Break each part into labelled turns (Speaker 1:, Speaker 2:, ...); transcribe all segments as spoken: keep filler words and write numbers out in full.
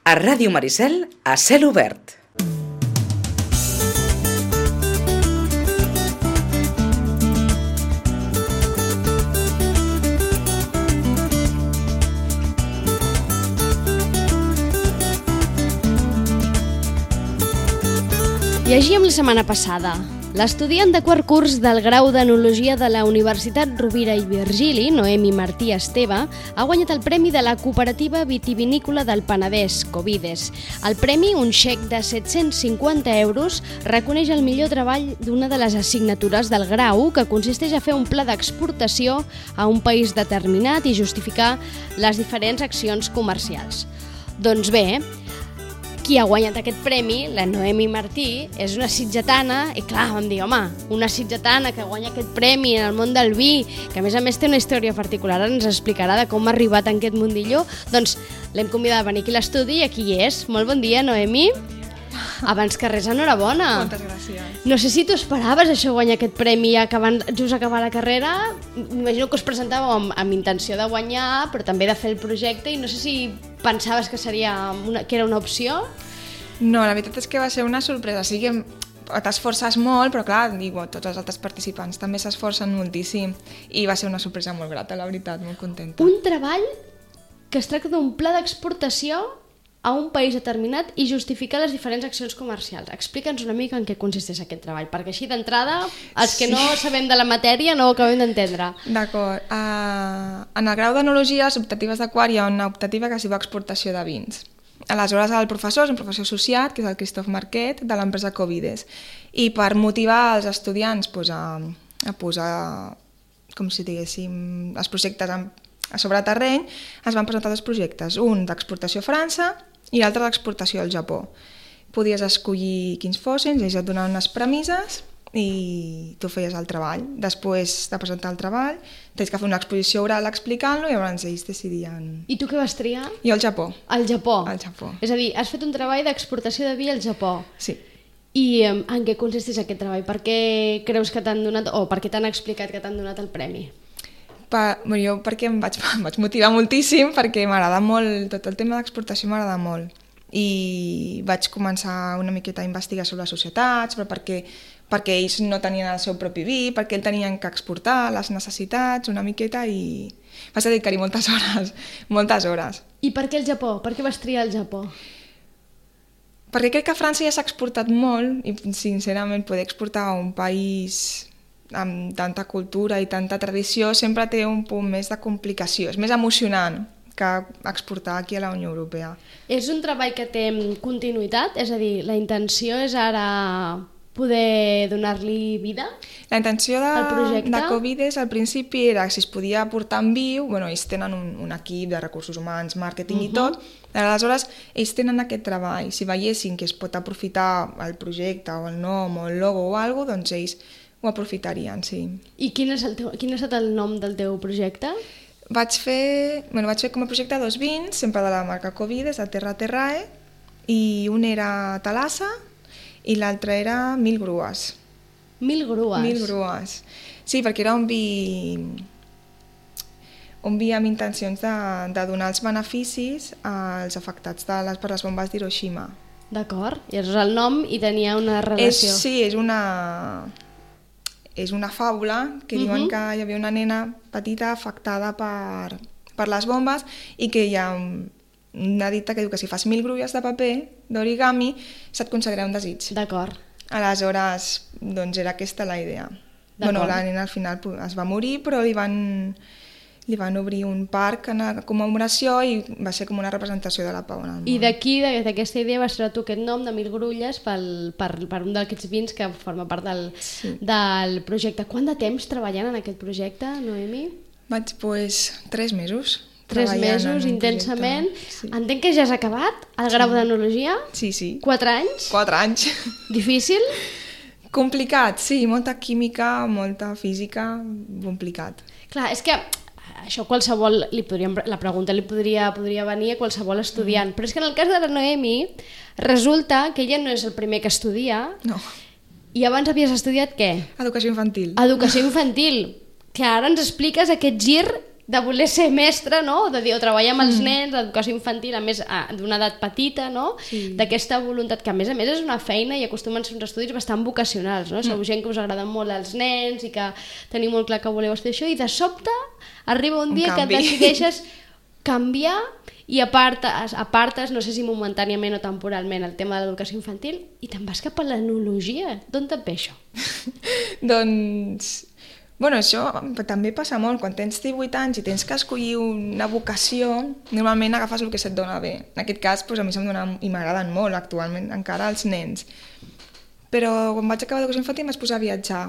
Speaker 1: A Ràdio Maricel, a cel obert.
Speaker 2: Llegíem la setmana passada. L'estudiant de quart curs del grau d'Enologia de la Universitat Rovira i Virgili, Noemi Martí Esteve, ha guanyat el premi de la Cooperativa Vitivinícola del Penedès, Covides. El premi, un xec de set-cents cinquanta euros, reconeix el millor treball d'una de les assignatures del grau, que consisteix a fer un pla d'exportació a un país determinat i justificar les diferents accions comercials. Doncs bé, qui ha guanyat aquest premi, la Noemi Martí, és una sitgetana, i clar, vam dir, home, una sitgetana que guanya aquest premi en el món del vi, que a més a més té una història particular, ens explicarà de com ha arribat en aquest mundillo, doncs l'hem convidat a venir aquí a l'estudi i aquí hi és. Molt bon dia, Noemi. Abans que res, enhorabona.
Speaker 3: Moltes gràcies.
Speaker 2: No sé si tu esperaves això, guanyar aquest premi acabant, just acabar la carrera. M'imagino que us presentàveu amb, amb intenció de guanyar, però també de fer el projecte, i no sé si pensaves que seria una, que era una opció.
Speaker 3: No, la veritat és que va ser una sorpresa. Sí que t'esforces molt, però clar, dic, tots els altres participants també s'esforcen moltíssim, i va ser una sorpresa molt grata, la veritat, molt contenta.
Speaker 2: Un treball que es tracta d'un pla d'exportació a un país determinat i justificar les diferents accions comercials. Explica'ns una mica en què consisteix aquest treball, perquè així d'entrada els que sí. no sabem de la matèria no ho acabem d'entendre.
Speaker 3: D'acord. Uh, en el grau d'Enologia, a les optatives de quart, hi ha una optativa que es diu exportació de vins. Aleshores, el professor és un professor associat, que és el Christophe Marquet, de l'empresa Covides. I per motivar els estudiants pues, a, a posar, com si diguéssim, els projectes a, a sobre terreny, es van presentar dos projectes, un d'exportació a França i l'altre d'exportació al Japó. Podies escollir quins fossin, ells et donaven unes premisses i tu feies el treball. Després de presentar el treball, tens que fer una exposició oral explicant-lo i llavors ells decidien...
Speaker 2: I tu què vas triar?
Speaker 3: Jo al Japó.
Speaker 2: Al Japó?
Speaker 3: Al Japó.
Speaker 2: És a dir, has fet un treball d'exportació de vi al Japó.
Speaker 3: Sí.
Speaker 2: I um, en què consisteix aquest treball? Per què creus que t'han donat, o per què t'han explicat que t'han donat el premi?
Speaker 3: Per, bueno, jo perquè em vaig, em vaig motivar moltíssim, perquè m'agrada molt, tot el tema d'exportació m'agrada molt. I vaig començar una miqueta a investigar sobre les societats, però perquè, perquè ells no tenien el seu propi vi, perquè ells tenien que exportar les necessitats una miqueta, i vas dedicar-hi moltes hores, moltes hores.
Speaker 2: I per què el Japó? Per què vas triar el Japó?
Speaker 3: Perquè crec que a França ja s'ha exportat molt, i sincerament poder exportar a un país amb tanta cultura i tanta tradició sempre té un punt més de complicació, és més emocionant que exportar aquí a la Unió Europea. És
Speaker 2: un treball que té continuïtat? És a dir, la intenció és ara poder donar-li vida?
Speaker 3: La intenció de, de Covides al principi era si es podia portar en viu, bueno, ells tenen un, un equip de recursos humans, màrqueting uh-huh. i tot, aleshores ells tenen aquest treball, si veiessin que es pot aprofitar el projecte o el nom o el logo o alguna cosa, doncs ells ho aprofitarien, sí.
Speaker 2: I quin és el teu, quin ha estat el nom del teu projecte?
Speaker 3: Vaig fer, bueno, vaig fer com a projecte dos vins, sempre de la marca Covides, de Terra Terrae, i un era Talassa i l'altre era Mil Grues.
Speaker 2: Mil Grues?
Speaker 3: Mil Grues. Sí, perquè era un vi, un vi amb intencions de, de donar els beneficis als afectats de les, per les bombes d'Hiroshima.
Speaker 2: D'acord, i és el nom i tenia una relació.
Speaker 3: És, sí, és una... És una fàbula que diuen uh-huh. que hi havia una nena petita afectada per, per les bombes i que hi ha una dita que diu que si fas mil grulles de paper d'origami se't concederà un desig.
Speaker 2: D'acord.
Speaker 3: Aleshores, doncs era aquesta la idea. Bueno, la nena al final es va morir, però li van, li van obrir un parc en commemoració i va ser com una representació de la pau en el món.
Speaker 2: I d'aquí, d'aquesta idea, vas treure tu aquest nom de Mil Grulles pel, per, per un d'aquests vins que forma part del, sí. del projecte. Quant de temps treballant en aquest projecte, Noemi?
Speaker 3: Vaig, doncs, tres mesos.
Speaker 2: Tres mesos, intensament. Sí. Entenc que ja has acabat el grau
Speaker 3: sí.
Speaker 2: d'Enologia?
Speaker 3: Sí, sí.
Speaker 2: Quatre anys?
Speaker 3: Quatre anys.
Speaker 2: Difícil?
Speaker 3: Complicat, sí. Molta química, molta física, complicat.
Speaker 2: Clar, és que això qualsevol, li podríem, la pregunta li podria, podria venir a qualsevol estudiant, mm. però és que en el cas de la Noemi resulta que ella no és el primer que estudia.
Speaker 3: No.
Speaker 2: I abans havies estudiat què?
Speaker 3: Educació infantil.
Speaker 2: Educació infantil. Que ara ens expliques aquest gir de voler ser mestre, no? De dir, o treballar amb els mm. nens, l'educació infantil, a més d'una edat petita, no? Sí. D'aquesta voluntat, que a més a més és una feina i acostumen a ser uns estudis bastant vocacionals, no? Mm. Sou gent que us agraden molt els nens i que teniu molt clar que voleu estudiar això, i de sobte arriba un, un dia canvi. Que et decideixes canviar i apartes, apartes, no sé si momentàniament o temporalment, el tema de l'educació infantil, i te'n vas cap a l'enologia. D'on te'n ve això?
Speaker 3: Doncs... Bueno, això també passa molt. Quan tens divuit anys i tens que escollir una vocació, normalment agafes el que se't dona bé. En aquest cas, doncs, a mi se'm dona, i m'agraden molt actualment, encara els nens. Però quan vaig acabar d'educació infantil em vaig posar a viatjar.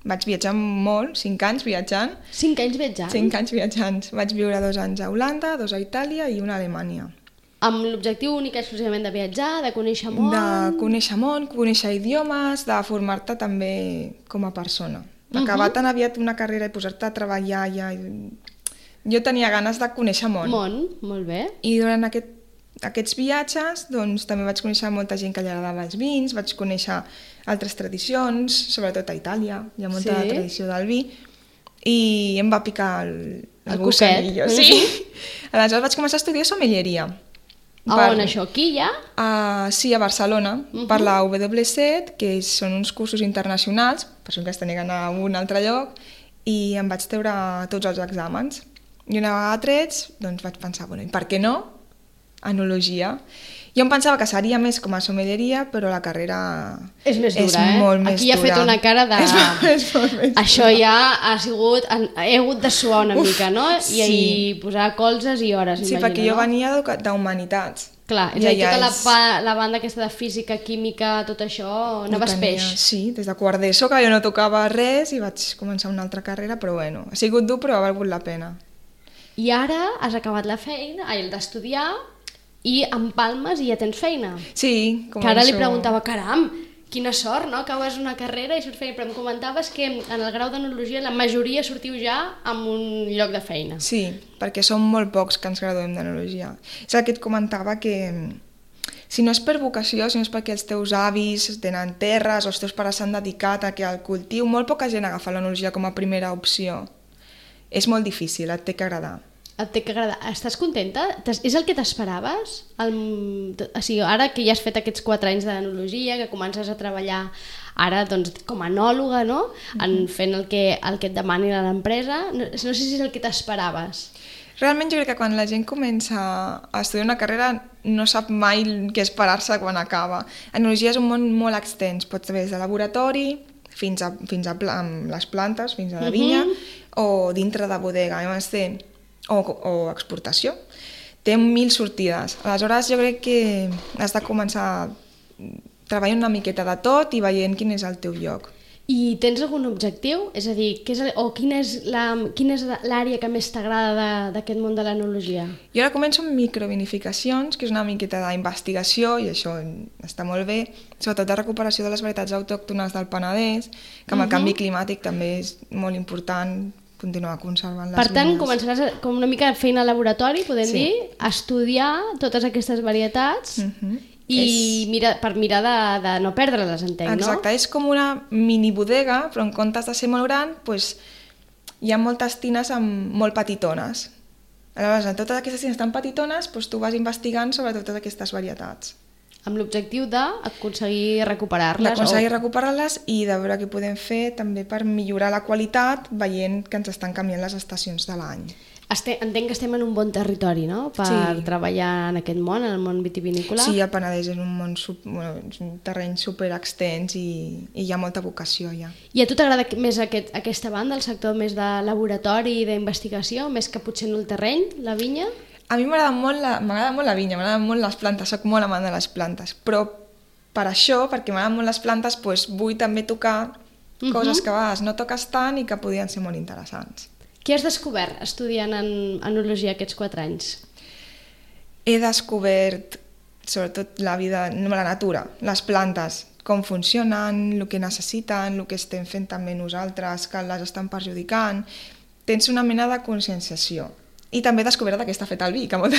Speaker 3: Vaig viatjar molt, cinc anys viatjant.
Speaker 2: Cinc anys viatjant?
Speaker 3: Cinc anys viatjant. Vaig viure dos anys a Holanda, dos a Itàlia i una a Alemanya.
Speaker 2: Amb l'objectiu únic exclusivament de viatjar, de conèixer món? De
Speaker 3: conèixer món, conèixer idiomes, de formar-te també com a persona. Acabar tan aviat una carrera i posar-te a treballar ja... Jo tenia ganes de conèixer món.
Speaker 2: Món, molt bé.
Speaker 3: I durant aquest, aquests viatges doncs, també vaig conèixer molta gent que li agradava els vins, vaig conèixer altres tradicions, sobretot a Itàlia, hi ha molta sí. tradició del vi, i em va picar el, el, el gusanillo. Sí. Aleshores vaig començar a estudiar sommelieria.
Speaker 2: A per, on això? Aquí ja?
Speaker 3: Uh, sí, a Barcelona, uh -huh. per la W set, que són uns cursos internacionals, per això que es tenia d'anar a un altre lloc, i em vaig treure tots els exàmens. I una vegada trets, doncs vaig pensar, bueno, i per què no? Enologia. Jo em pensava que seria més com a sommelieria, però la carrera
Speaker 2: és més dura,
Speaker 3: és
Speaker 2: eh?
Speaker 3: molt més
Speaker 2: Aquí ja ha fet una cara de...
Speaker 3: És molt, és molt més
Speaker 2: això
Speaker 3: dura.
Speaker 2: Ja ha sigut... He hagut de suar una Uf, mica, no? I,
Speaker 3: sí.
Speaker 2: I posar colzes i hores,
Speaker 3: sí,
Speaker 2: imagino,
Speaker 3: perquè jo
Speaker 2: no?
Speaker 3: venia d'humanitats.
Speaker 2: Clar, és ja, a dir, tota ja és... la, la banda aquesta de física, química, tot això, anaves peix.
Speaker 3: Sí, des de quart d'ESO, que jo no tocava res i vaig començar una altra carrera, però bueno, ha sigut dur però ha valgut la pena.
Speaker 2: I ara has acabat la feina, el d'estudiar, i empalmes i ja tens feina.
Speaker 3: Sí, començo...
Speaker 2: Que ara li preguntava, caram, quina sort, no? Acabes una carrera i surts feina, però em comentaves que en el grau d'enologia la majoria sortiu ja amb un lloc de feina.
Speaker 3: Sí, perquè som molt pocs que ens graduem d'enologia. És el que et comentava, que si no és per vocació, si no és perquè els teus avis tenen terres o els teus pares s'han dedicat a que al cultiu, molt poca gent agafa l'enologia com a primera opció. És molt difícil, et té que agradar.
Speaker 2: Et té que agradar. Estàs contenta? És el que t'esperaves? El... O sigui, ara que ja has fet aquests quatre anys d'enologia, que comences a treballar ara doncs, com a enòloga, no? En fent el que, el que et demani l'empresa, no, no sé si és el que t'esperaves.
Speaker 3: Realment jo crec que quan la gent comença a estudiar una carrera no sap mai què esperar-se quan acaba. Enologia és un món molt extens, pots saber des de laboratori fins a, fins a pla, les plantes, fins a la vinya, uh-huh. o dintre de bodega, llavors té O, o exportació. Té mil sortides. Aleshores jo crec que has de començar treballant una miqueta de tot i veient quin és el teu lloc.
Speaker 2: I tens algun objectiu? És a dir, què és, o quina és l'àrea que més t'agrada d'aquest món de l'enologia?
Speaker 3: Jo ara començo amb microvinificacions, que és una miqueta d'investigació, i això està molt bé, sobretot de recuperació de les varietats autòctones del Penedès, que amb el uh-huh. canvi climàtic també és molt important continuar conservant les
Speaker 2: Per tant,
Speaker 3: vinyes.
Speaker 2: començaràs com una mica de feina al laboratori, podem sí. dir, a estudiar totes aquestes varietats uh-huh. i és... mira, per mirar de, de no perdre-les, entenc,
Speaker 3: Exacte, no? Exacte, és com una mini bodega, però en comptes de ser molt gran, doncs, hi ha moltes tines amb molt petitones. Aleshores, en totes aquestes tines tan petitones, doncs, tu vas investigant sobre totes aquestes varietats.
Speaker 2: Amb l'objectiu d'aconseguir recuperar-les.
Speaker 3: D'aconseguir o... recuperar-les i de veure què podem fer també per millorar la qualitat veient que ens estan canviant les estacions de l'any.
Speaker 2: Este, entenc que estem en un bon territori, no?, per sí. treballar en aquest món, en el món vitivinícola.
Speaker 3: Sí, el Penedès és un, món, bueno, és un terreny super extens i, i hi ha molta vocació ja.
Speaker 2: I a tu t'agrada més aquest, aquesta banda, el sector més de laboratori i d'investigació, més que potser en el terreny, la vinya?
Speaker 3: A mi m'agrada molt, la, molt la vinya, m'agraden molt les plantes, soc molt amant de les plantes, però per això, perquè m'agraden molt les plantes, doncs vull també tocar uh-huh. coses que a vegades no toques tant i que podien ser molt interessants.
Speaker 2: Què has descobert estudiant en enologia aquests quatre anys?
Speaker 3: He descobert sobretot la vida, la natura, les plantes, com funcionen, el que necessiten, el que estem fent també nosaltres, que les estan perjudicant. Tens una mena de conscienciació. I també he descobert que està fet el vi, que molta...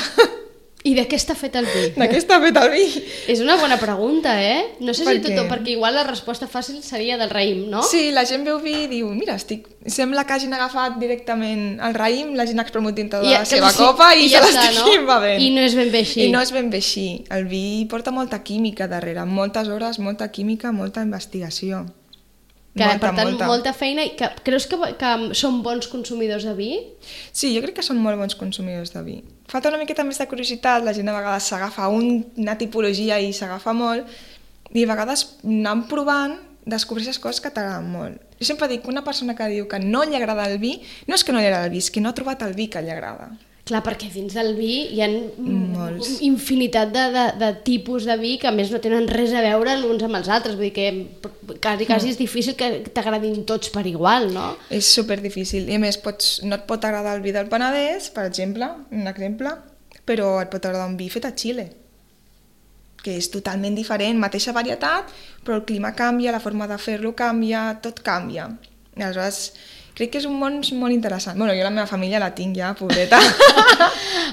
Speaker 2: I de què està fet el vi?
Speaker 3: De què està fet el vi?
Speaker 2: És una bona pregunta, eh? No sé
Speaker 3: Per
Speaker 2: si tothom,
Speaker 3: què?
Speaker 2: perquè igual la resposta fàcil seria del raïm, no?
Speaker 3: Sí, la gent veu vi i diu, mira, estic... sembla que hagin agafat directament el raïm, l'hagin espremut dintre de
Speaker 2: I-
Speaker 3: la
Speaker 2: que
Speaker 3: seva
Speaker 2: sí,
Speaker 3: copa i,
Speaker 2: i ja
Speaker 3: se
Speaker 2: està,
Speaker 3: l'estic
Speaker 2: no?
Speaker 3: bevent.
Speaker 2: I no és ben bé així.
Speaker 3: I no és ben bé així. El vi porta molta química darrere, moltes hores, molta química, molta investigació.
Speaker 2: Que,
Speaker 3: molta,
Speaker 2: per tant,
Speaker 3: molta.
Speaker 2: molta feina. I que, creus que, que són bons consumidors de vi?
Speaker 3: Sí, jo crec que són molt bons consumidors de vi. Falta una miqueta més de curiositat, la gent a vegades s'agafa un, una tipologia i s'agafa molt, i a vegades anant provant descobreixes coses que t'agraden molt. Jo sempre dic que una persona que diu que no li agrada el vi, no és que no li agrada el vi, és que no ha trobat el vi que li agrada.
Speaker 2: Clar, perquè dins del vi hi ha
Speaker 3: Molts.
Speaker 2: infinitat de, de, de tipus de vi que a més no tenen res a veure els uns amb els altres. Vull dir que quasi, quasi és difícil que t'agradin tots per igual, no?
Speaker 3: És super difícil. I a més, pots, no et pot agradar el vi del Penedès, per exemple, un exemple, però et pot agradar un vi fet a Xile, que és totalment diferent, mateixa varietat, però el clima canvia, la forma de fer-lo canvia, tot canvia. I aleshores, crec que és un món molt interessant. Bueno, jo la meva família la tinc ja, pobreta.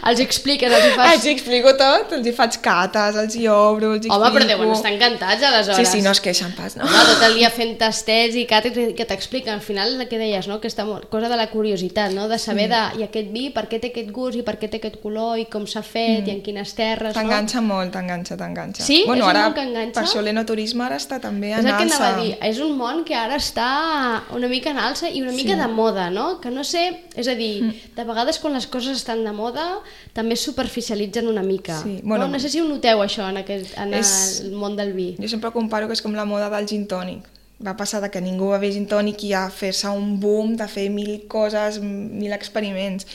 Speaker 2: Els expliques, els hi fas...
Speaker 3: Els hi explico tot, els hi faig cates, els hi obro, els hi
Speaker 2: Home,
Speaker 3: explico...
Speaker 2: però deuen estar encantats, aleshores.
Speaker 3: Sí, sí, no es queixen pas, no?
Speaker 2: Home, tot el dia fent tastets i cates que t'expliquen. Al final, el que deies, no? Aquesta cosa de la curiositat, no? De saber sí. de, i aquest vi, per què té aquest gust i per què té aquest color i com s'ha fet mm. i en quines terres, no?
Speaker 3: T'enganxa molt, t'enganxa, t'enganxa.
Speaker 2: Sí?
Speaker 3: Bueno,
Speaker 2: és un
Speaker 3: ara,
Speaker 2: món que enganxa?
Speaker 3: per això l'enoturisme ara està també
Speaker 2: És
Speaker 3: en
Speaker 2: el que
Speaker 3: alça.
Speaker 2: anava a dir, és un món que ara està una mica en alça i una mica
Speaker 3: Sí.
Speaker 2: de moda, no? Que no sé, és a dir, mm. de vegades quan les coses estan de moda també es superficialitzen una mica.
Speaker 3: Sí, bueno,
Speaker 2: no? no sé si ho noteu això en, aquest, en
Speaker 3: és-
Speaker 2: el món del vi.
Speaker 3: Jo sempre comparo que és com la moda del gin tònic. Va passar de que ningú bevés gin tònic i a fer-se un boom de fer mil coses, mil experiments.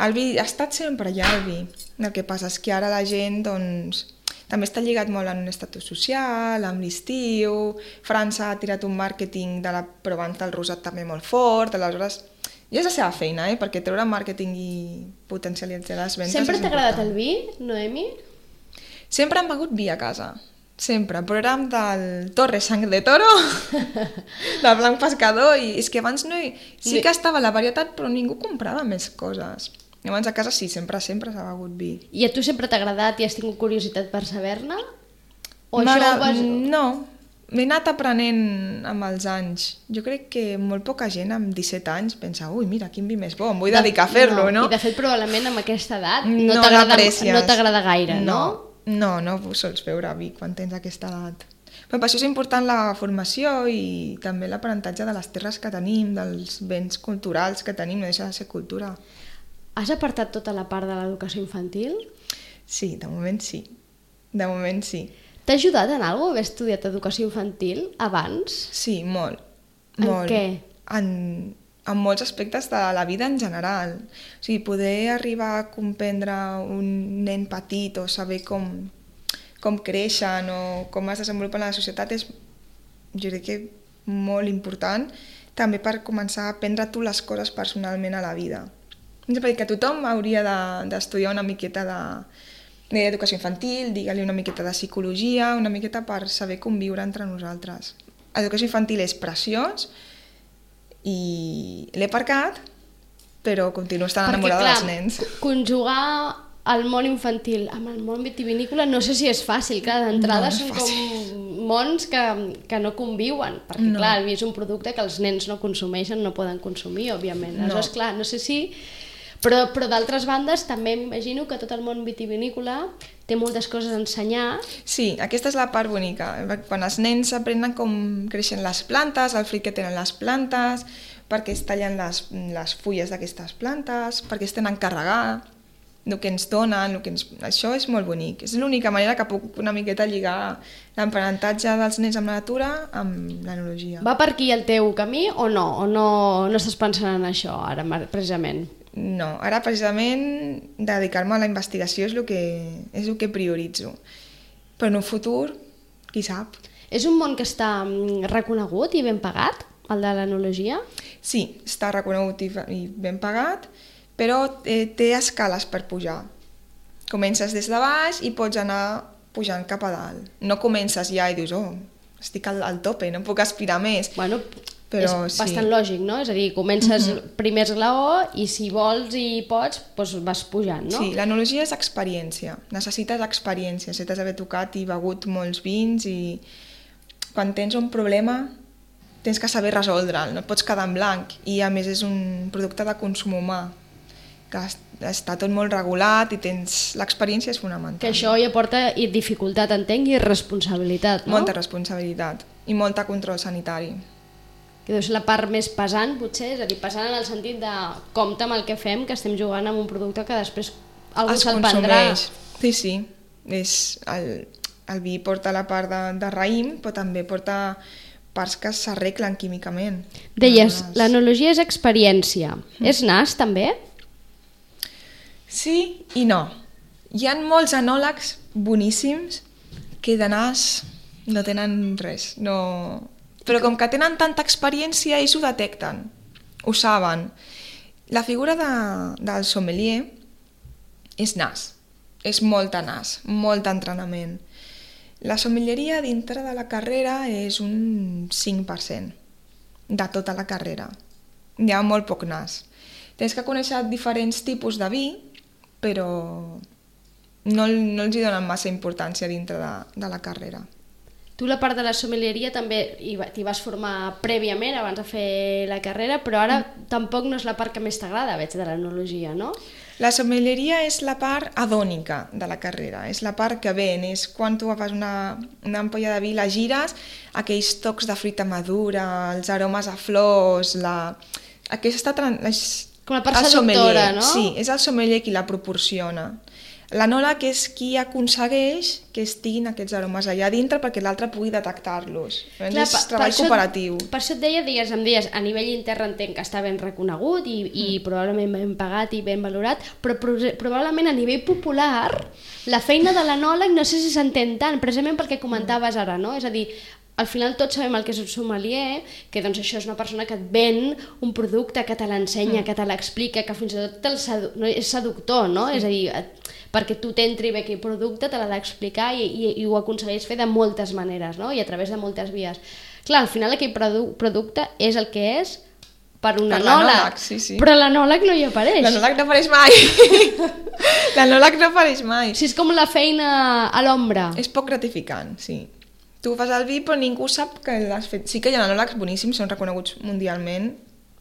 Speaker 3: El vi ha estat sempre allà, el vi. El que passa és que ara la gent, doncs, també està lligat molt en un estatus social, amb l'estiu. França ha tirat un màrqueting de la Provence del rosat també molt fort, aleshores ja és la seva feina, eh? Perquè treure màrqueting i potencialitzar les ventes
Speaker 2: Sempre
Speaker 3: és
Speaker 2: t'ha agradat
Speaker 3: important.
Speaker 2: el vi, Noemi?
Speaker 3: Sempre hem begut vi a casa, sempre, però érem del Torre Sang de Toro, del Blanc Pescador, i és que abans no hi... sí que estava la varietat, però ningú comprava més coses. I abans a casa sí, sempre, sempre s'ha begut vi.
Speaker 2: I a tu sempre t'ha agradat i has tingut curiositat per saber-ne? O això
Speaker 3: M'agrada-
Speaker 2: ho vas...
Speaker 3: No, m'he anat aprenent amb els anys. Jo crec que molt poca gent amb disset anys pensa, ui, mira, quin vi més bo, em vull
Speaker 2: De-
Speaker 3: dedicar a fer-lo, no?
Speaker 2: I de fet, probablement amb aquesta edat no,
Speaker 3: No
Speaker 2: t'agrada
Speaker 3: l'aprecies.
Speaker 2: no t'agrada gaire, no?
Speaker 3: No, no, no sols beure vi quan tens aquesta edat. Però per això és important la formació i també l'aprenentatge de les terres que tenim, dels béns culturals que tenim, no deixa de ser cultura.
Speaker 2: Has apartat tota la part de l'educació infantil?
Speaker 3: Sí, de moment sí. De moment sí.
Speaker 2: T'ha ajudat en alguna cosa haver estudiat educació infantil abans?
Speaker 3: Sí, molt.
Speaker 2: En
Speaker 3: molt.
Speaker 2: què?
Speaker 3: En, en molts aspectes de la vida en general. O sigui, poder arribar a comprendre un nen petit o saber com, com creixen o com es desenvolupen a la societat és, jo crec que molt important, també per començar a aprendre tu les coses personalment a la vida. Jo sempre dic que tothom hauria de- d'estudiar una miqueta de d'educació infantil, digue-li una miqueta de psicologia, una miqueta per saber conviure entre nosaltres. L'educació infantil és preciós i l'he aparcat, però continuo estant enamorada
Speaker 2: clar,
Speaker 3: dels nens.
Speaker 2: conjugar el món infantil amb el món vitivinícola no sé si és fàcil, clar, d'entrada
Speaker 3: No, és
Speaker 2: són
Speaker 3: fàcil.
Speaker 2: com mons que, que no conviuen, perquè
Speaker 3: No.
Speaker 2: clar, el vi és un producte que els nens no consumeixen, no poden consumir, òbviament.
Speaker 3: No.
Speaker 2: Aleshores, clar, no sé si... Però, però d'altres bandes també imagino que tot el món vitivinícola té moltes coses a ensenyar.
Speaker 3: Sí, aquesta és la part bonica. Quan els nens aprenen com creixen les plantes, el fruit que tenen les plantes, per què es tallen les, les fulles d'aquestes plantes, per què es tenen carregar, el que ens donen, el que ens... això és molt bonic. És l'única manera que puc una miqueta lligar l'aprenentatge dels nens amb la natura amb l'enologia.
Speaker 2: Va per aquí el teu camí o no? O no, no estàs pensant en això ara, precisament?
Speaker 3: No, ara precisament dedicar-me a la investigació és el que, és el que prioritzo. Però en un futur, qui sap?
Speaker 2: És un món que està mm, reconegut i ben pagat, el de l'enologia?
Speaker 3: Sí, està reconegut i, i ben pagat, però eh, té escales per pujar. Comences des de baix i pots anar pujant cap a dalt. No comences ja i dius, oh, estic al, al tope, no puc aspirar més.
Speaker 2: Bueno,
Speaker 3: Però,
Speaker 2: és
Speaker 3: sí.
Speaker 2: bastant lògic, no? És a dir, comences mm-hmm. primer esglaó i si vols i pots, doncs vas pujant, no?
Speaker 3: Sí, l'enologia és experiència. Necessites experiència. Necessites haver tocat i begut molts vins i quan tens un problema tens que saber resoldre'l, no et pots quedar en blanc. I a més és un producte de consum humà, que està tot molt regulat i tens l'experiència és fonamental.
Speaker 2: Que això ja porta dificultat, entenc, i responsabilitat, no?
Speaker 3: Molta responsabilitat i molta control sanitari.
Speaker 2: Que deu ser la part més pesant, potser, és a dir, pesant en el sentit de compte amb el que fem, que estem jugant amb un producte que després algú se'l prendrà.
Speaker 3: Sí, sí. És el, el vi porta la part de, de raïm, però també porta parts que s'arreglen químicament.
Speaker 2: Deies, l'enologia és experiència. Mm. És nas, també?
Speaker 3: Sí i no. Hi ha molts enòlegs boníssims que de nas no tenen res, no... Però com que tenen tanta experiència, ells ho detecten, ho saben. La figura de, del sommelier és nas, és molta nas, molt entrenament. La sommelieria dintre de la carrera és un cinc per cent de tota la carrera. Hi ha molt poc nas. Tens que conèixer diferents tipus de vi, però no, no els hi donen massa importància dintre de, de la carrera.
Speaker 2: Tu la part de la sommelieria també t'hi vas formar prèviament abans de fer la carrera, però ara mm. tampoc no és la part que més t'agrada, veig, de l'enologia, no?
Speaker 3: La sommelieria és la part adònica de la carrera, és la part que ven, és quan tu agafes una, una ampolla de vi, la gires, aquells tocs de fruita madura, els aromes a flors, la... aquesta... És...
Speaker 2: Com la part seductora, no?
Speaker 3: Sí, és el sommelier qui la proporciona. L'enòleg és qui aconsegueix que estiguin aquests aromes allà dintre perquè l'altre pugui detectar-los. Clar, és per, treball per cooperatiu.
Speaker 2: Això, per això et deia, digues, em deies, a nivell intern entenc que està ben reconegut i, i mm. probablement ben pagat i ben valorat, però pro probablement a nivell popular la feina de l'enòleg no sé si s'entén tant, precisament perquè comentaves ara, no? És a dir, al final tots sabem el que és un sommelier, que doncs això és una persona que et ven un producte, que te l'ensenya, mm. que te l'explica, que fins i tot el sedu no, és seductor, no? Sí. És a dir, et, perquè tu t'entri bé aquell producte, te l'ha d'explicar i, i, i ho aconsegueix fer de moltes maneres, no? I a través de moltes vies. Clar, al final aquell produ producte és el que és per un per enòleg,
Speaker 3: sí, sí.
Speaker 2: Però l'enòleg no hi apareix.
Speaker 3: L'enòleg no apareix mai. L'enòleg no apareix mai.
Speaker 2: Sí, és com la feina a l'ombra.
Speaker 3: És poc gratificant, sí. Tu fas el vi però ningú sap que l'has fet. Sí que hi ha enòlegs boníssims, són reconeguts mundialment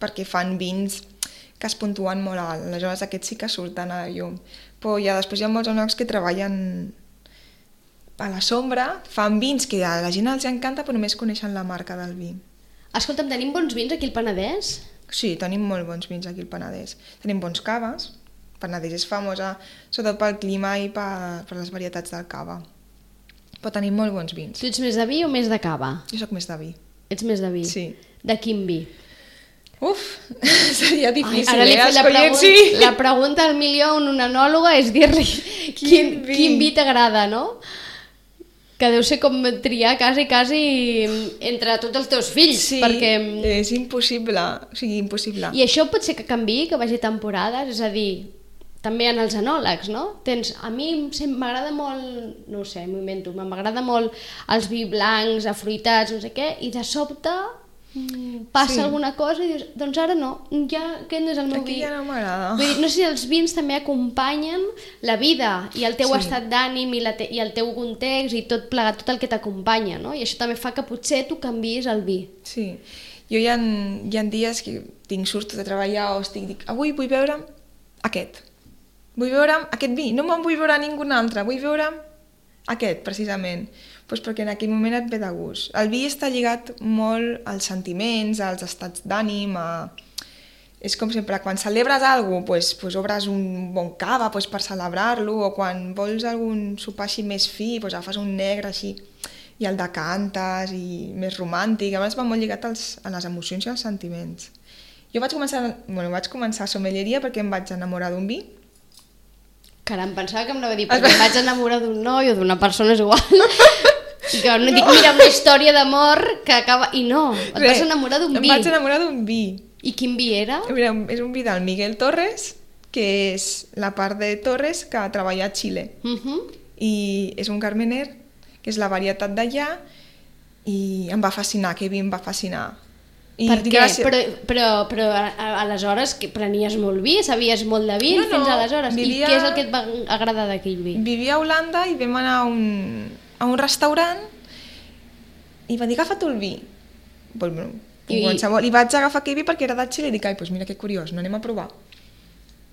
Speaker 3: perquè fan vins que es puntuen molt alt. Aleshores aquests sí que surten a la llum. Però ja després hi ha molts enòlegs que treballen a la sombra, fan vins que a la gent els encanta però només coneixen la marca del vi.
Speaker 2: Escolta'm, tenim bons vins aquí al Penedès?
Speaker 3: Sí, tenim molt bons vins aquí al Penedès. Tenim bons caves. Penedès és famosa sobretot pel clima i per, per les varietats del cava. Però tenim molt bons vins.
Speaker 2: Tu ets més de vi o més de cava?
Speaker 3: Jo sóc més de vi.
Speaker 2: Ets més de vi?
Speaker 3: Sí.
Speaker 2: De quin vi?
Speaker 3: Uf, seria difícil.
Speaker 2: Ai, ara li
Speaker 3: eh?
Speaker 2: la, pregun sí. la pregunta al milió a un enòloga és dir-li quin, quin vi, quin vi t'agrada, no? Que deu ser com triar quasi, quasi entre tots els teus fills.
Speaker 3: Sí,
Speaker 2: perquè...
Speaker 3: és impossible, o sigui, impossible.
Speaker 2: I això pot ser que canviï, que vagi temporades, és a dir, també en els enòlegs, no? Tens, a mi m'agrada molt, no ho sé, m'ho invento, m'agrada molt els vi blancs, afruitats, no sé què, i de sobte passa sí. alguna cosa i dius, doncs ara no, ja aquest no és el meu
Speaker 3: Aquí
Speaker 2: vi.
Speaker 3: ja no m'agrada.
Speaker 2: Vull dir, no sé si els vins també acompanyen la vida i el teu sí. estat d'ànim i, la te i el teu context i tot plegat, tot el que t'acompanya, no? I això també fa que potser tu canviïs el vi.
Speaker 3: Sí, jo hi ha, hi ha dies que tinc surto de treballar o estic, dic, avui vull beure aquest. Vull veure aquest vi, no me'n vull veure ningú altre, vull veure aquest, precisament. Pues perquè en aquell moment et ve de gust. El vi està lligat molt als sentiments, als estats d'ànim, a... és com sempre, quan celebres alguna cosa, pues, pues obres un bon cava pues, per celebrar-lo, o quan vols algun sopar així més fi, pues, agafes un negre així, i el decantes, i més romàntic. A més va molt lligat als, a les emocions i als sentiments. Jo vaig començar, bueno, vaig començar a sommelieria perquè em vaig enamorar d'un vi.
Speaker 2: Caram, pensava que em anava a dir, perquè em vaig enamorar d'un noi o d'una persona és igual. I que no, no dic, mira, una història d'amor que acaba... I no, et Bé, vas enamorar d'un vi.
Speaker 3: Em vaig enamorar d'un vi.
Speaker 2: I quin vi era?
Speaker 3: Mira, és un vi del Miguel Torres, que és la part de Torres que treballa a Xile. Uh -huh. I és un Carmener, que és la varietat d'allà, i em va fascinar, aquell vi em va fascinar. I
Speaker 2: per què?
Speaker 3: gràcies...
Speaker 2: Però, però, però aleshores que prenies molt vi, sabies molt de vi
Speaker 3: no, no,
Speaker 2: fins aleshores.
Speaker 3: vivia...
Speaker 2: I què és el que et va agradar d'aquell vi?
Speaker 3: Vivia a Holanda i vam anar a un, a un restaurant i va dir, agafa tu el vi. Pues, bueno, I... I vaig agafar aquell vi perquè era de Xile i dic, ai, pues mira que curiós, no anem a provar.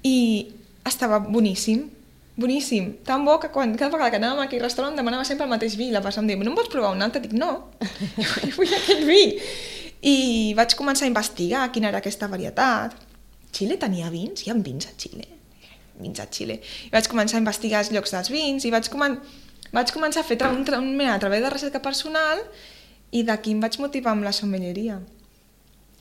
Speaker 3: I estava boníssim, boníssim, tan bo que quan, cada vegada que anàvem a aquell restaurant demanava sempre el mateix vi. La persona em deia, no em pots provar un altre? Dic, no, jo vull aquell vi. I vaig començar a investigar quina era aquesta varietat. Xile tenia vins? Hi ha vins a Xile? Vins a Xile. I vaig començar a investigar els llocs dels vins i vaig, comen... vaig començar a fer un, un, un, a través de recerca personal i d'aquí em vaig motivar amb la sommelleria.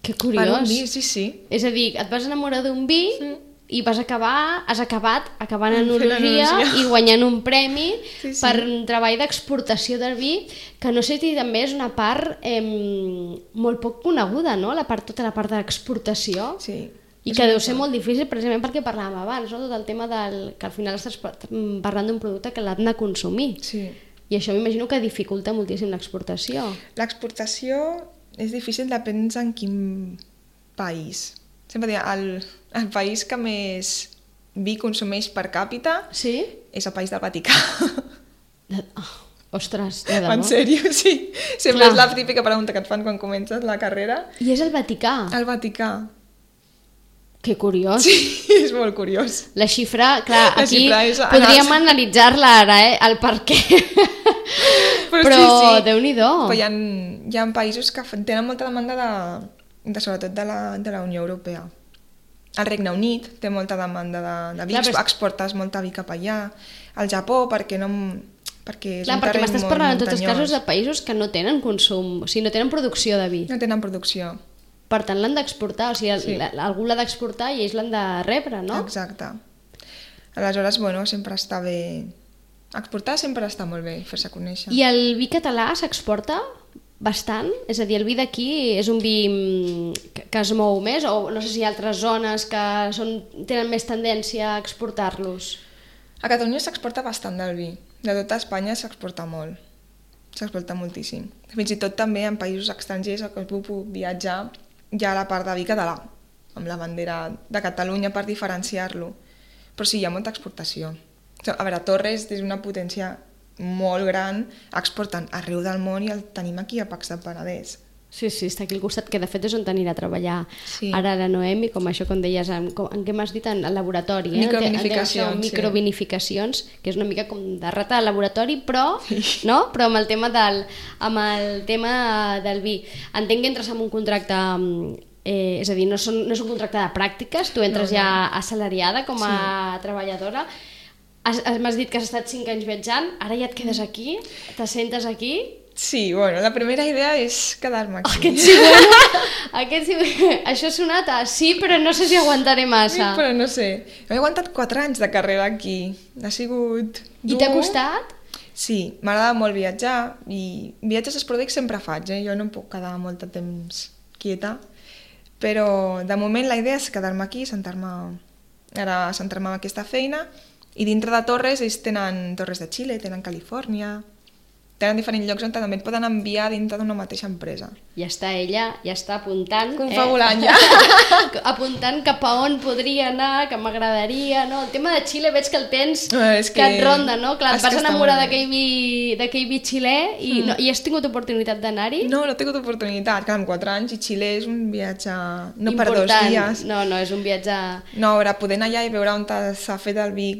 Speaker 2: Que curiós.
Speaker 3: Per un vi, sí, sí.
Speaker 2: És a dir, et vas enamorar d'un vi mm. i vas acabar, has acabat acabant en
Speaker 3: enologia
Speaker 2: i guanyant un premi
Speaker 3: sí, sí.
Speaker 2: per un treball d'exportació del vi, que no sé si també és una part eh, molt poc coneguda, no? La part, tota la part d'exportació.
Speaker 3: Sí.
Speaker 2: I que deu ser molt difícil precisament perquè parlàvem abans, no? Tot el tema del que al final estàs parlant d'un producte que l'han de consumir.
Speaker 3: Sí.
Speaker 2: I això m'imagino que dificulta moltíssim l'exportació.
Speaker 3: L'exportació és difícil, depèn en quin país. Sempre dic, el, el país que més vi consumeix per càpita
Speaker 2: sí?
Speaker 3: és el país del Vaticà.
Speaker 2: De... Oh, ostres, de debò?
Speaker 3: En sèrio, sí. Sempre Clar. És la típica pregunta que et fan quan comences la carrera.
Speaker 2: I és el Vaticà?
Speaker 3: El Vaticà.
Speaker 2: Que curiós.
Speaker 3: Sí, és molt curiós.
Speaker 2: La xifra, clar,
Speaker 3: la
Speaker 2: aquí
Speaker 3: xifra és...
Speaker 2: podríem analitzar-la ara, eh? El per què. Però, Però sí, sí. Déu-n'hi-do.
Speaker 3: Però hi ha, hi ha països que tenen molta demanda de, de sobretot de la, de la Unió Europea. El Regne Unit té molta demanda de, de vi, clar, exportes molta vi cap allà. El Japó, perquè no... perquè és
Speaker 2: clar,
Speaker 3: un
Speaker 2: perquè m'estàs parlant en tots els casos
Speaker 3: muntanyós.
Speaker 2: de països que no tenen consum, o sigui, no tenen producció de vi.
Speaker 3: No tenen producció.
Speaker 2: Per tant, l'han d'exportar, o sigui, sí. algú l'ha d'exportar i ells l'han de rebre, no?
Speaker 3: Exacte. Aleshores, bueno, sempre està bé... Exportar sempre està molt bé, fer-se conèixer.
Speaker 2: I el vi català s'exporta bastant? És a dir, el vi d'aquí és un vi que, que es mou més? O no sé si hi ha altres zones que són, tenen més tendència a exportar-los?
Speaker 3: A Catalunya s'exporta bastant del vi. De tota Espanya s'exporta molt. S'exporta moltíssim. Fins i tot també en països estrangers que es puc viatjar hi ha la part de vi català, amb la bandera de Catalunya per diferenciar-lo. Però sí, hi ha molta exportació. A veure, Torres és una potència molt gran, exporten arreu del món i el tenim aquí a Pacs del Penedès.
Speaker 2: Sí, sí, està aquí al costat, que de fet és on t'anirà a treballar
Speaker 3: sí.
Speaker 2: ara la Noemi, com això, com deies, en, com, en què m'has dit? En el laboratori, eh?
Speaker 3: Microvinificacions,
Speaker 2: en, en, microvinificacions, sí. Que és una mica com de rata de laboratori, però, sí. no? però amb el tema del, amb el tema del vi. Entenc que entres en un contracte, eh, és a dir, no, són, no és un contracte de pràctiques, tu entres no, no. ja assalariada com a sí. treballadora. M'has dit que has estat cinc anys viatjant, ara ja et quedes aquí, t'assentes aquí...
Speaker 3: Sí, bueno, la primera idea és quedar-me aquí.
Speaker 2: Aquest sí, bueno, aquest sí, això ha sonat a sí, però no sé si aguantaré massa.
Speaker 3: Sí, però no sé. He aguantat quatre anys de carrera aquí. Ha sigut dur.
Speaker 2: I t'ha costat?
Speaker 3: Sí, m'agrada molt viatjar i viatges esporàdics sempre faig, eh? Jo no em puc quedar molt de temps quieta, però de moment la idea és quedar-me aquí, sentar-me ara centrar-me en aquesta feina, i dintre de Torres ells tenen Torres de Xile, tenen Califòrnia, tenen diferents llocs on també et poden enviar dintre d'una mateixa empresa.
Speaker 2: Ja està ella, ja està apuntant.
Speaker 3: Confabulant,
Speaker 2: eh?
Speaker 3: ja.
Speaker 2: Apuntant cap a on podria anar, que m'agradaria, no? El tema de Xile veig que el tens
Speaker 3: no, que,
Speaker 2: que et ronda, no? Clar, et vas enamorar d'aquell vi, d'aquell vi xilè i, mm. no, i has tingut oportunitat d'anar-hi?
Speaker 3: No, no he tingut oportunitat, clar, amb quatre anys i Xile és un viatge no
Speaker 2: important.
Speaker 3: Per dos dies.
Speaker 2: No, no, és un viatge...
Speaker 3: No, a veure, poder anar allà i veure on s'ha fet el vi,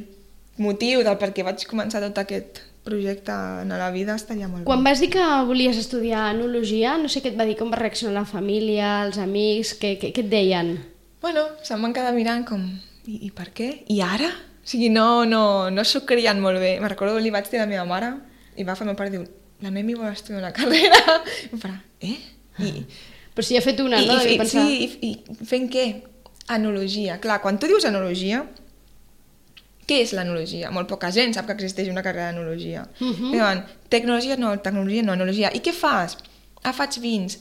Speaker 3: motiu del per què vaig començar tot aquest projecte en la vida estaria molt bé.
Speaker 2: Quan vas dir que volies estudiar enologia, no sé què et va dir, com va reaccionar la família, els amics, què, què, què et deien?
Speaker 3: Bueno, se'm van quedar mirant com, i, i per què? I ara? O sigui, no, no, no s'ho creien molt bé. Me recordo que li vaig dir a la meva mare i va fer el meu pare i diu, la Noemi vol estudiar una carrera. I em farà, eh? I,
Speaker 2: Però si ha fet una,
Speaker 3: i,
Speaker 2: no?
Speaker 3: I,
Speaker 2: pensar...
Speaker 3: Sí, i, i fent què? Enologia. Clar, quan tu dius enologia, què és l'enologia? Molt poca gent sap que existeix una carrera d'enologia. Uh-huh. Diuen, tecnologia no, tecnologia no, enologia. I què fas? Ah, faig vins.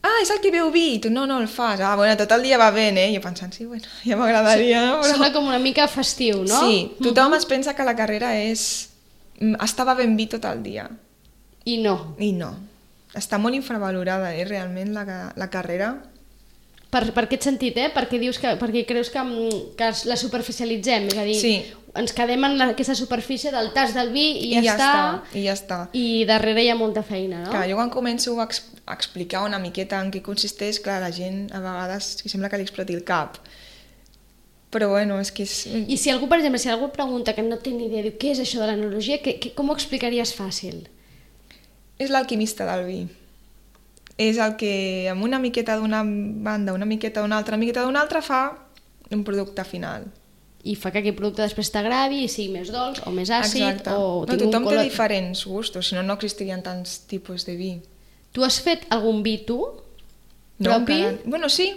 Speaker 3: Ah, és el que veu vi. I tu no, no el fas. Ah, bueno, tot el dia va bé, eh? I jo pensant, sí, bueno, ja m'agradaria.
Speaker 2: Sí,
Speaker 3: però...
Speaker 2: Sona com una mica festiu, no?
Speaker 3: Sí, tothom uh-huh. es pensa que la carrera és... Estava ben vi tot el dia.
Speaker 2: I no.
Speaker 3: I no. Està molt infravalorada, eh, realment, la, la carrera.
Speaker 2: Per, per aquest sentit, eh? Perquè, dius que, perquè creus que, que la superficialitzem, és a dir, sí. ens quedem en la, aquesta superfície del tas del vi i ja,
Speaker 3: I ja
Speaker 2: està,
Speaker 3: està, i ja està.
Speaker 2: I darrere hi ha molta feina, no?
Speaker 3: Clar, jo quan començo a, ex a explicar una miqueta en què consisteix, clar, la gent a vegades sembla que li exploti el cap. Però bueno, és que és...
Speaker 2: I si algú, per exemple, si algú pregunta que no té ni idea, diu, què és això de l'enologia, com ho explicaries fàcil?
Speaker 3: És l'alquimista del vi. És el que amb una miqueta d'una banda, una miqueta d'una altra, una miqueta d'una altra, fa un producte final.
Speaker 2: I fa que aquell producte després t'agravi i sigui més dolç o més àcid.
Speaker 3: Exacte.
Speaker 2: O
Speaker 3: no, tothom color... té diferents gustos, si no, no existirien tants tipus de vi.
Speaker 2: Tu has fet algun vi, tu?
Speaker 3: No, propi? Encara... Bueno, sí.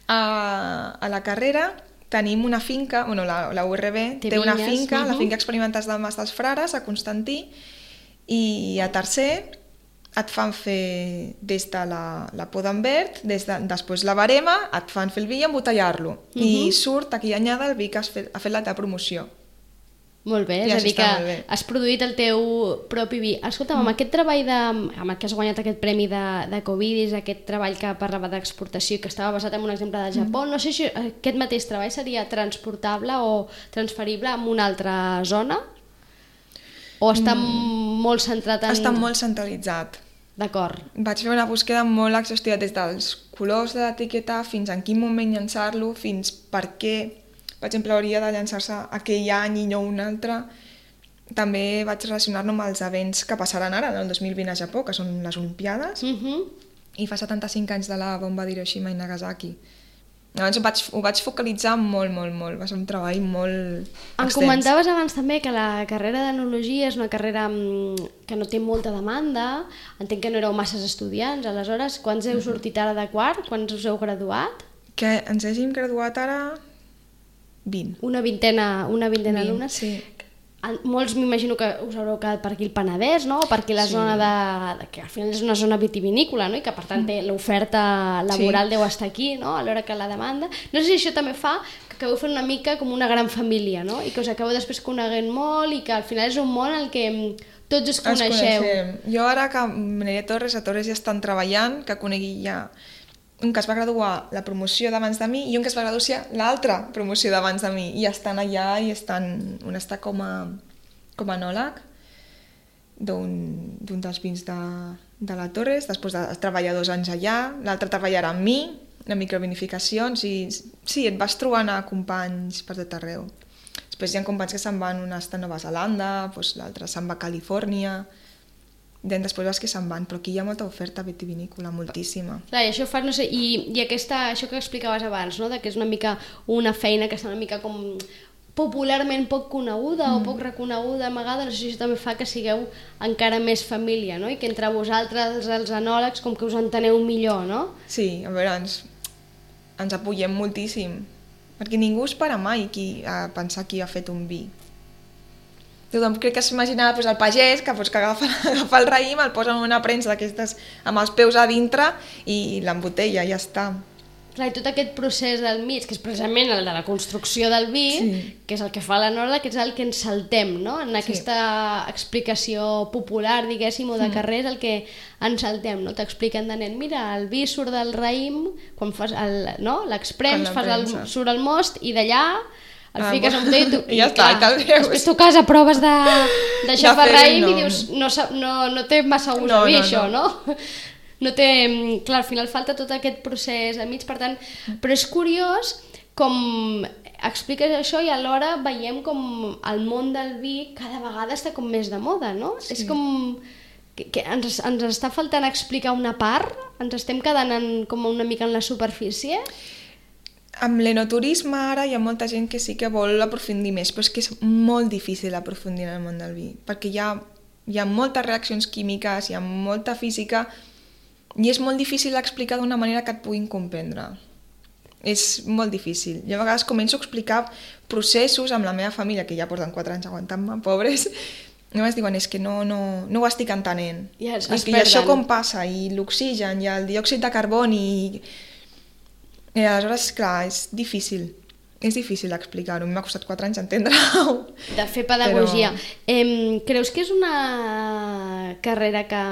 Speaker 3: A, a la carrera tenim una finca, bueno, la, la U R B té, té una finca, uh -huh. la finca Experimentals del Mas dels Frares, a Constantí, i a tercer et fan fer des de la, la poda en verd, des de, després la barema, et fan fer el vi i embotellar-lo. Uh -huh. I surt aquí anyada el vi que has fet, ha fet la teva promoció.
Speaker 2: Molt bé, és a dir que has produït el teu propi vi. Escolta'm, amb aquest treball de, amb el que has guanyat aquest premi de, de Covidis, aquest treball que parlava d'exportació i que estava basat en un exemple del Japó, no sé si aquest mateix treball seria transportable o transferible a una altra zona? O està mm. molt centrat en...
Speaker 3: Està molt centralitzat.
Speaker 2: D'acord.
Speaker 3: Vaig fer una búsqueda molt exhaustiva des dels colors de l'etiqueta fins en quin moment llançar-lo, fins per què, per exemple, hauria de llançar-se aquell any i no un altre. També vaig relacionar-lo amb els events que passaran ara, el dos mil vint a Japó, que són les Olimpiades, uh -huh. i fa setanta-cinc anys de la bomba d'Hiroshima i Nagasaki. Llavors ho vaig, ho vaig focalitzar molt, molt, molt. Va ser un treball molt extens.
Speaker 2: Em comentaves abans també que la carrera d'enologia és una carrera que no té molta demanda. Entenc que no éreu masses estudiants. Aleshores, quants heu sortit ara de quart? Quants us heu graduat?
Speaker 3: Que ens hàgim graduat ara... vint.
Speaker 2: Una vintena, una vintena d'alumnes?
Speaker 3: Sí.
Speaker 2: Molts m'imagino que us haureu quedat per aquí el Penedès, no? Per aquí la sí. zona de, de... que al final és una zona vitivinícola, no? I que per tant té l'oferta laboral sí. deu estar aquí, no? A l'hora que la demanda. No sé si això també fa que acabeu fent una mica com una gran família, no? I que us acabeu després coneguent molt i que al final és un món en què tots us coneixeu.
Speaker 3: Ens jo ara que m'aniré a Torres, a Torres ja estan treballant, que conegui ja un que es va graduar la promoció d'abans de mi i un que es va graduar l'altra promoció d'abans de mi, i estan allà i estan, un està com a, com a enòleg d'un dels vins de, de la Torres, després de treballar dos anys allà, l'altre treballarà amb mi, en microvinificacions, i sí, et vas trobant a companys per tot arreu. Després hi ha companys que se'n van, un està a Nova Zelanda, doncs l'altre se'n va a Califòrnia, després vas que se'n van, però aquí hi ha molta oferta vitivinícola, moltíssima.
Speaker 2: Clar, i això fa, no sé, i, i aquesta, això que explicaves abans, no? De que és una mica una feina que està una mica com popularment poc coneguda mm. o poc reconeguda amagada, no sé si això també fa que sigueu encara més família, no? I que entre vosaltres, els enòlegs, com que us enteneu millor, no?
Speaker 3: Sí, a veure, ens, ens apoyem moltíssim, perquè ningú es para mai qui, a pensar qui ha fet un vi. Tothom crec que s'imaginava doncs, el pagès que, doncs, que agafa, agafa el raïm, el posa en una premsa d'aquestes amb els peus a dintre i l'embotella, ja està.
Speaker 2: Clar, i tot aquest procés del mig, que és precisament el de la construcció del vi, sí. que és el que fa l'enòleg, que és el que ens saltem, no? En aquesta sí. explicació popular, diguéssim, o de carrer, és el que ens saltem, no? T'expliquen de nen, mira, el vi surt del raïm, quan fas el, no? l'exprems, fas el, surt el most, i d'allà el fiques en botella i, tu,
Speaker 3: i ja està, clar, i
Speaker 2: després tu cas a proves de, de xafar raïm no. i dius, no, no, no té massa gust no, a mi no, això, no? no? No té, clar, al final falta tot aquest procés a mig, per tant, però és curiós com expliques això i alhora veiem com el món del vi cada vegada està com més de moda, no? Sí. És com que, que ens, ens està faltant explicar una part, ens estem quedant en, com una mica en la superfície.
Speaker 3: Amb l'enoturisme ara hi ha molta gent que sí que vol aprofundir més, però és que és molt difícil aprofundir en el món del vi, perquè hi ha, hi ha moltes reaccions químiques, hi ha molta física, i és molt difícil explicar d'una manera que et puguin comprendre. És molt difícil. Jo a vegades començo a explicar processos amb la meva família, que ja porten quatre anys aguantant-me, pobres, i només diuen, és que no, no, no ho estic entenent.
Speaker 2: I, es,
Speaker 3: I, I això com passa, i l'oxigen, i el diòxid de carboni, i... I aleshores, clar, és difícil. És difícil explicar-ho, m'ha costat quatre anys entendre-ho.
Speaker 2: De fer pedagogia.
Speaker 3: Però...
Speaker 2: Eh, creus que és una carrera que,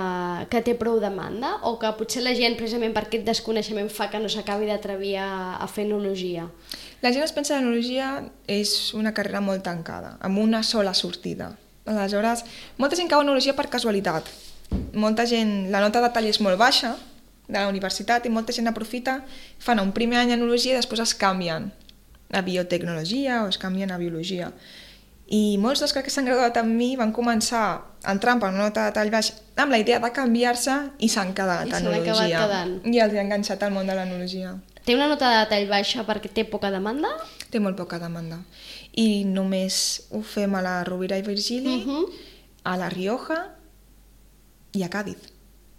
Speaker 2: que té prou demanda o que potser la gent, precisament per aquest desconeixement, fa que no s'acabi d'atrevir a, a fer enologia?
Speaker 3: La gent es pensa que l'enologia és una carrera molt tancada, amb una sola sortida. Aleshores, molta gent cau en enologia per casualitat. Molta gent, la nota de tall és molt baixa de la universitat i molta gent aprofita, fan un primer any en enologia i després es canvien a biotecnologia o es canvien a biologia. I molts dels que s'han graduat amb mi van començar entrant per una nota de tall baix amb la idea de canviar-se i s'han quedat
Speaker 2: I
Speaker 3: en
Speaker 2: s'han acabat
Speaker 3: enologia.
Speaker 2: quedant.
Speaker 3: I els ha enganxat al món de l'enologia.
Speaker 2: Té una nota de tall baixa perquè té poca demanda?
Speaker 3: Té molt poca demanda. I només ho fem a la Rovira i Virgili,
Speaker 2: Uh-huh.
Speaker 3: a la Rioja i a Càdiz.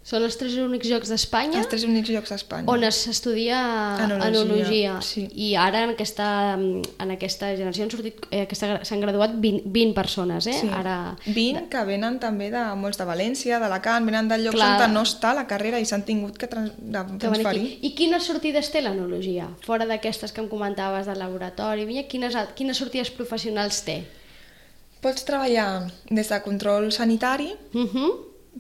Speaker 2: Són els tres únics llocs d'Espanya
Speaker 3: Els tres únics llocs d'Espanya.
Speaker 2: on s'estudia
Speaker 3: Enologia,
Speaker 2: enologia.
Speaker 3: sí.
Speaker 2: I ara en aquesta, en aquesta generació han sortit, eh, aquesta- s'han graduat vint, vint persones, eh?
Speaker 3: Sí.
Speaker 2: Ara...
Speaker 3: vint que venen també de molts de València, d'Alacant, venen de llocs
Speaker 2: Clar.
Speaker 3: on no està la carrera i s'han tingut que, trans de
Speaker 2: que van
Speaker 3: transferir.
Speaker 2: aquí. I quines sortides té l'enologia? Fora d'aquestes que em comentaves del laboratori, vinya, quines, al- quines sortides professionals té?
Speaker 3: Pots treballar des de control sanitari,
Speaker 2: Uh -huh.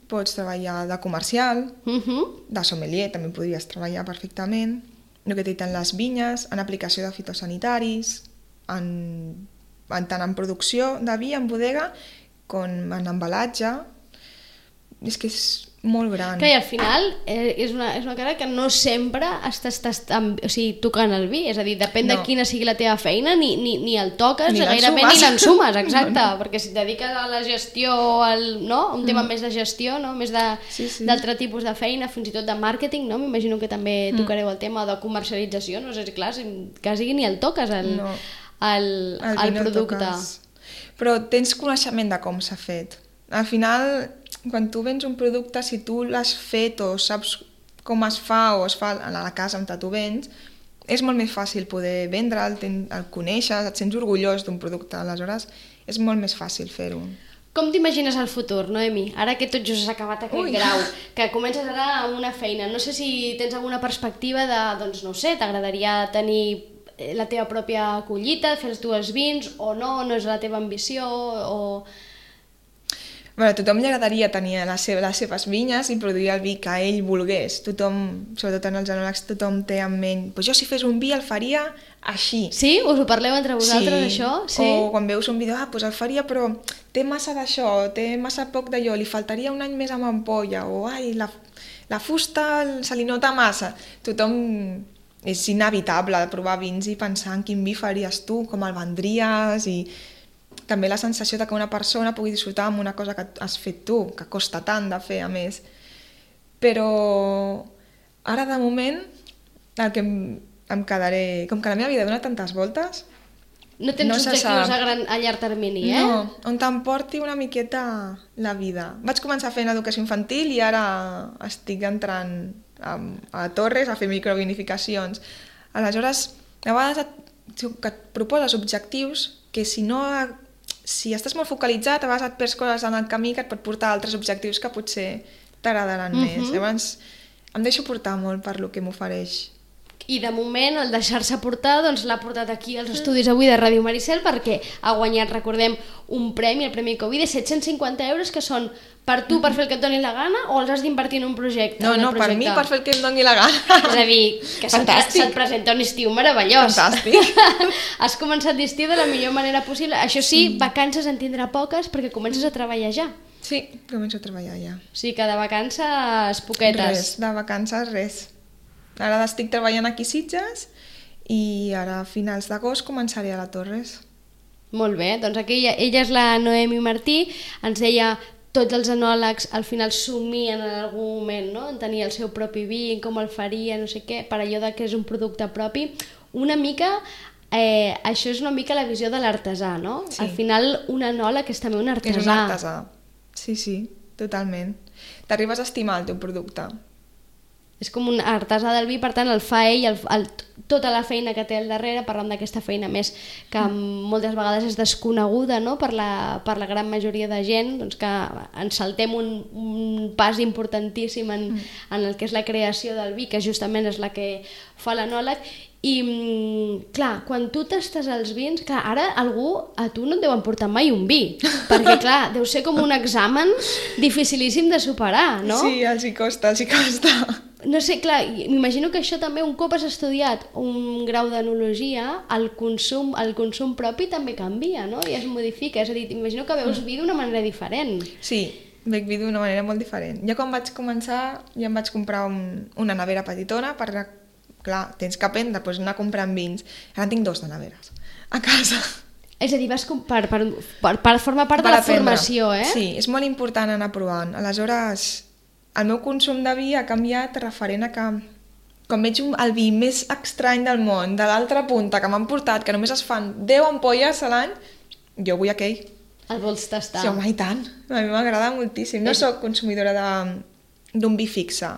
Speaker 3: pots treballar de comercial,
Speaker 2: Uh -huh.
Speaker 3: de sommelier també podries treballar perfectament, el que t'he dit en les vinyes, en aplicació de fitosanitaris, en, en tant en producció de vi, en bodega, com en embalatge. És que és molt gran.
Speaker 2: Que al final eh, és, una, és una carrera que no sempre estàs tastant, o sigui, tocant el vi, és a dir, depèn
Speaker 3: No.
Speaker 2: de quina sigui la teva feina, ni, ni, ni el toques,
Speaker 3: Ni
Speaker 2: gairebé
Speaker 3: l'ensumes.
Speaker 2: ni l'ensumes, exacte, no, no. Perquè si et dediques a la gestió, al, no? un tema mm. més de gestió, no? Més de-
Speaker 3: Sí, sí.
Speaker 2: d'altre tipus de feina, fins i tot de màrqueting, no? M'imagino que també tocareu el tema de comercialització, no sé si clar, si quasi ni el toques, el,
Speaker 3: No.
Speaker 2: el,
Speaker 3: El
Speaker 2: el
Speaker 3: vi no el
Speaker 2: producte.
Speaker 3: toques. Però tens coneixement de com s'ha fet. Al final, quan tu vens un producte, si tu l'has fet o saps com es fa o es fa a la casa on tu vens, és molt més fàcil poder vendre'l, ten- el coneixes, et sents orgullós d'un producte, aleshores és molt més fàcil fer-ho.
Speaker 2: Com t'imagines el futur, Noemi? Ara que tot just has acabat aquest
Speaker 3: Ui.
Speaker 2: grau, que comences ara amb una feina, no sé si tens alguna perspectiva de, doncs no ho sé, t'agradaria tenir eh, la teva pròpia collita, fer els teus vins, o no, no és la teva ambició, o...
Speaker 3: Bueno, a tothom li agradaria tenir les seves, les seves vinyes i produir el vi que ell volgués. Tothom, sobretot en els enòlegs, tothom té en ment pues jo si fes un vi el faria així.
Speaker 2: Sí? Us ho parleu entre vosaltres,
Speaker 3: sí.
Speaker 2: això? Sí.
Speaker 3: O quan veus un vídeo, ah, pues el faria però té massa d'això, té massa poc d'allò, li faltaria un any més amb ampolla, o ai, la, la fusta se li nota massa. Tothom és inevitable provar vins i pensar en quin vi faries tu, com el vendries, i també la sensació de que una persona pugui disfrutar amb una cosa que has fet tu, que costa tant de fer a més. Però ara de moment el que em, em quedaré... Com que la meva vida dona tantes voltes...
Speaker 2: No tens
Speaker 3: no se
Speaker 2: objectius
Speaker 3: sap.
Speaker 2: a, gran, a llarg termini, eh?
Speaker 3: No, on t'emporti una miqueta la vida. Vaig començar fent educació infantil i ara estic entrant a, a Torres a fer microvinificacions. Aleshores, a vegades et, que et proposes objectius que si no... Si estàs molt focalitzat, a vegades et perds coses en el camí que et pot portar a altres objectius que potser t'agradaran
Speaker 2: Mhm.
Speaker 3: més. Llavors, em deixo portar molt per lo que m'ofereix.
Speaker 2: I de moment el deixar-se portar doncs, l'ha portat aquí als estudis avui de Ràdio Maricel perquè ha guanyat, recordem, un premi, el Premi Covid de set-cents cinquanta euros que són per tu per fer el que et doni la gana o els has d'invertir en un projecte?
Speaker 3: No,
Speaker 2: en el
Speaker 3: no, per
Speaker 2: projecte?
Speaker 3: mi per fer el que em doni la gana.
Speaker 2: És a dir, que se't,
Speaker 3: Fantàstic.
Speaker 2: se't presenta un estiu meravellós.
Speaker 3: Fantàstic.
Speaker 2: Has començat l'estiu de la millor manera possible. Això sí, vacances en tindrà poques perquè comences a treballar ja.
Speaker 3: Sí, començo a treballar ja.
Speaker 2: O sigui que de vacances poquetes.
Speaker 3: Res, de vacances res. Ara estic treballant aquí a Sitges i ara a finals d'agost començaré a la Torres.
Speaker 2: Molt bé, doncs aquí ella, ella és la Noemi Martí, ens deia tots els enòlegs al final somien en algun moment, no? En tenir el seu propi vi, com el faria, no sé què, per allò de que és un producte propi. Una mica, eh, això és una mica la visió de l'artesà, no?
Speaker 3: Sí.
Speaker 2: Al final un enòleg és també un artesà.
Speaker 3: És un artesà. Sí, sí, totalment. T'arribes a estimar el teu producte.
Speaker 2: És com un artesà del vi, per tant el fa ell, el, el, tota la feina que té al darrere, parlant d'aquesta feina més que moltes vegades és desconeguda, no? per, la, per la gran majoria de gent, doncs que ens saltem un, un pas importantíssim en, mm. en el que és la creació del vi, que justament és la que fa l'enòleg. I clar, quan tu tastes els vins, clar, ara algú a tu no et deu emportar mai un vi, perquè clar, deu ser com un examen dificilíssim de superar, no?
Speaker 3: Sí, els hi costa, els hi costa.
Speaker 2: No sé, clar, m'imagino que això també, un cop has estudiat un grau d'enologia, el consum, el consum propi també canvia, no? I es modifica, és a dir, m'imagino que veus vi d'una manera diferent.
Speaker 3: Sí, veig vi d'una manera molt diferent. Jo quan vaig començar ja em vaig comprar un, una nevera petitona per, clar, tens que aprendre, doncs anar comprant vins. Ara en tinc dos de neveres a casa.
Speaker 2: És a dir, vas per, per, per, per formar part
Speaker 3: per
Speaker 2: de la
Speaker 3: aprendre.
Speaker 2: Formació, eh?
Speaker 3: Sí, és molt important anar provant. Aleshores, el meu consum de vi ha canviat referent a que quan veig un, el vi més estrany del món, de l'altra punta, que m'han portat, que només es fan deu ampolles a l'any, jo vull aquell.
Speaker 2: El vols tastar?
Speaker 3: Sí, home, i tant. A mi m'agrada moltíssim. No és... soc consumidora d'un vi fixe.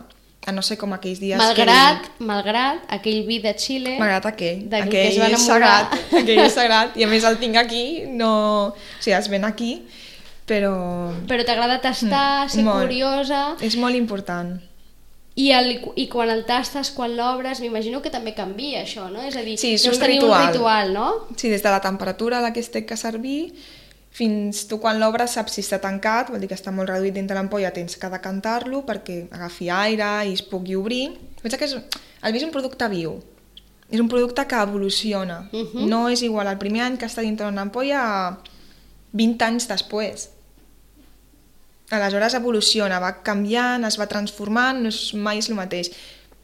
Speaker 3: A no ser com aquells dies
Speaker 2: malgrat,
Speaker 3: que...
Speaker 2: Malgrat aquell vi de Xile...
Speaker 3: Malgrat aquell.
Speaker 2: Aquell,
Speaker 3: aquell
Speaker 2: que es va
Speaker 3: és sagrat. Aquell és sagrat. I a més el tinc aquí, no... O sigui, es ven aquí, però...
Speaker 2: Però t'agrada tastar, ser
Speaker 3: molt.
Speaker 2: Curiosa...
Speaker 3: És molt important.
Speaker 2: I, el, I quan el tastes, quan l'obres, m'imagino que també canvia això, no? És a dir,
Speaker 3: sí, és
Speaker 2: deus
Speaker 3: un
Speaker 2: tenir
Speaker 3: ritual.
Speaker 2: un ritual, no?
Speaker 3: Sí, des de la temperatura a la que es té que servir, fins tu quan l'obres saps si està tancat, vol dir que està molt reduït dintre l'ampolla, tens que decantar-lo perquè agafi aire i es pugui obrir. Pensa que és, el vi és un producte viu, és un producte que evoluciona, uh -huh. no és igual el primer any que està dintre d'una ampolla a vint anys després. Aleshores evoluciona, va canviant, es va transformant, no és, mai és el mateix.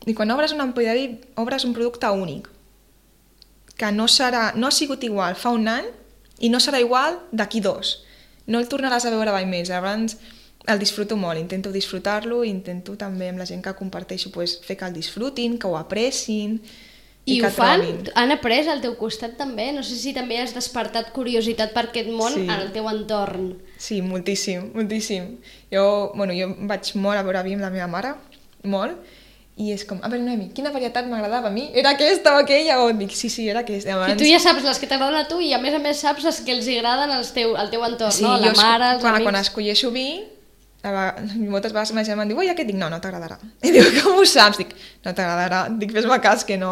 Speaker 3: I quan obres una ampolla de vi, obres un producte únic, que no, serà, no ha sigut igual fa un any i no serà igual d'aquí dos. No el tornaràs a veure mai més. Llavors el disfruto molt, intento disfrutar-lo, intento també amb la gent que comparteixo pues, fer que el disfrutin, que ho aprecin i,
Speaker 2: I
Speaker 3: que
Speaker 2: ho fan?
Speaker 3: trobin.
Speaker 2: Han après al teu costat també? No sé si també has despertat curiositat per aquest món
Speaker 3: sí.
Speaker 2: en el teu entorn.
Speaker 3: Sí, moltíssim, moltíssim. Jo, bueno, jo vaig molt a veure vi amb la meva mare, molt, i és com, a veure, Noemi, quina varietat m'agradava a mi? Era aquesta o aquella? O dic, sí, sí, era aquesta. Abans...
Speaker 2: I tu ja saps les que t'agraden a tu i a més a més saps les que els agraden al teu, al teu entorn,
Speaker 3: sí,
Speaker 2: no? La mare, els
Speaker 3: quan,
Speaker 2: amics...
Speaker 3: Quan escolleixo vi, moltes vegades ma germana em diu, ui, aquest, dic, no, no t'agradarà. I diu, com ho saps? Dic, no t'agradarà. Dic, fes-me cas que no...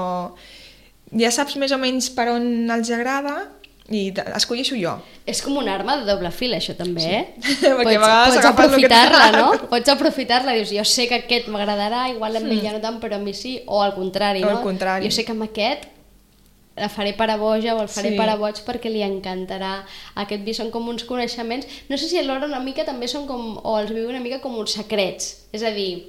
Speaker 3: Ja saps més o menys per on els agrada i escolleixo jo.
Speaker 2: És com una arma de doble fil, això també, sí. eh?
Speaker 3: Perquè
Speaker 2: pots, pots
Speaker 3: aprofitar-la,
Speaker 2: no? Pots aprofitar-la, dius, jo sé que aquest m'agradarà, igual a mi ja no tant, però a mi sí, o al contrari,
Speaker 3: o
Speaker 2: no?
Speaker 3: al contrari.
Speaker 2: Jo sé que amb aquest la faré per a boja o el faré
Speaker 3: sí.
Speaker 2: per a boig perquè li encantarà. Aquest vi són com uns coneixements, no sé si alhora una mica també són com, o els viu una mica com uns secrets, és a dir,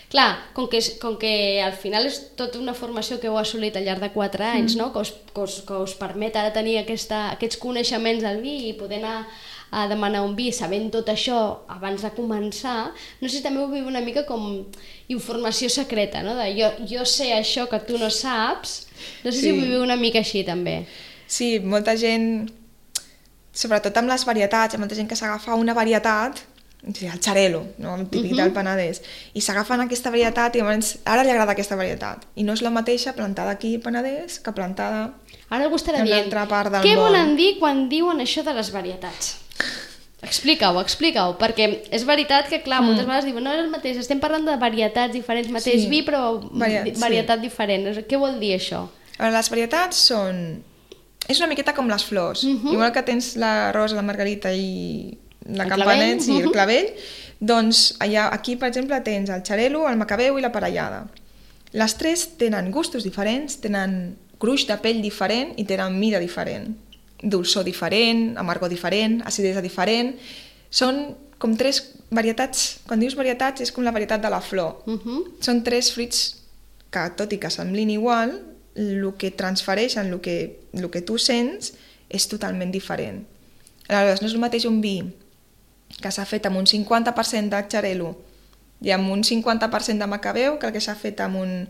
Speaker 2: clar, com que, com que al final és tota una formació que heu assolit al llarg de quatre anys, mm. no? que, us, que, us, que us permet ara tenir aquesta, aquests coneixements del vi i poder anar a demanar un vi sabent tot això abans de començar, no sé si també ho viu una mica com informació secreta, no? De jo, jo sé això que tu no saps, no sé sí. si ho viu una mica així també.
Speaker 3: Sí, molta gent, sobretot amb les varietats, hi ha molta gent que s'agafa una varietat, el xarelo, no? El típic uh -huh. del Penedès, i s'agafen aquesta varietat i llavors ara li agrada aquesta varietat i no és la mateixa plantada aquí al Penedès que plantada
Speaker 2: ara algú estarà
Speaker 3: en
Speaker 2: dient,
Speaker 3: l'altra part del
Speaker 2: què
Speaker 3: món.
Speaker 2: volen dir quan diuen això de les varietats? Explica-ho, explica-ho, perquè és veritat que, clar, moltes mm. vegades diuen, no és el mateix, estem parlant de varietats diferents, mateix sí. vi, però Variat, varietat sí. diferent. Què vol dir això?
Speaker 3: A veure, les varietats són... És una miqueta com les flors. Uh -huh. Igual que tens la rosa, la margarita i la campanet, sí, el clavell, doncs allà, aquí, per exemple, tens el xarelo, el macabeu i la parellada. Les tres tenen gustos diferents, tenen gruix de pell diferent i tenen mida diferent. Dolçor diferent, amargor diferent, acidesa diferent. Són com tres varietats, quan dius varietats és com la varietat de la flor. Uh -huh. Són tres fruits que, tot i que semblin igual, el que transfereixen, el que, el que tu sents, és totalment diferent. Aleshores, no és el mateix un vi que s'ha fet amb un cinquanta per cent de xarelo i amb un cinquanta per cent de macabeu que el que s'ha fet amb un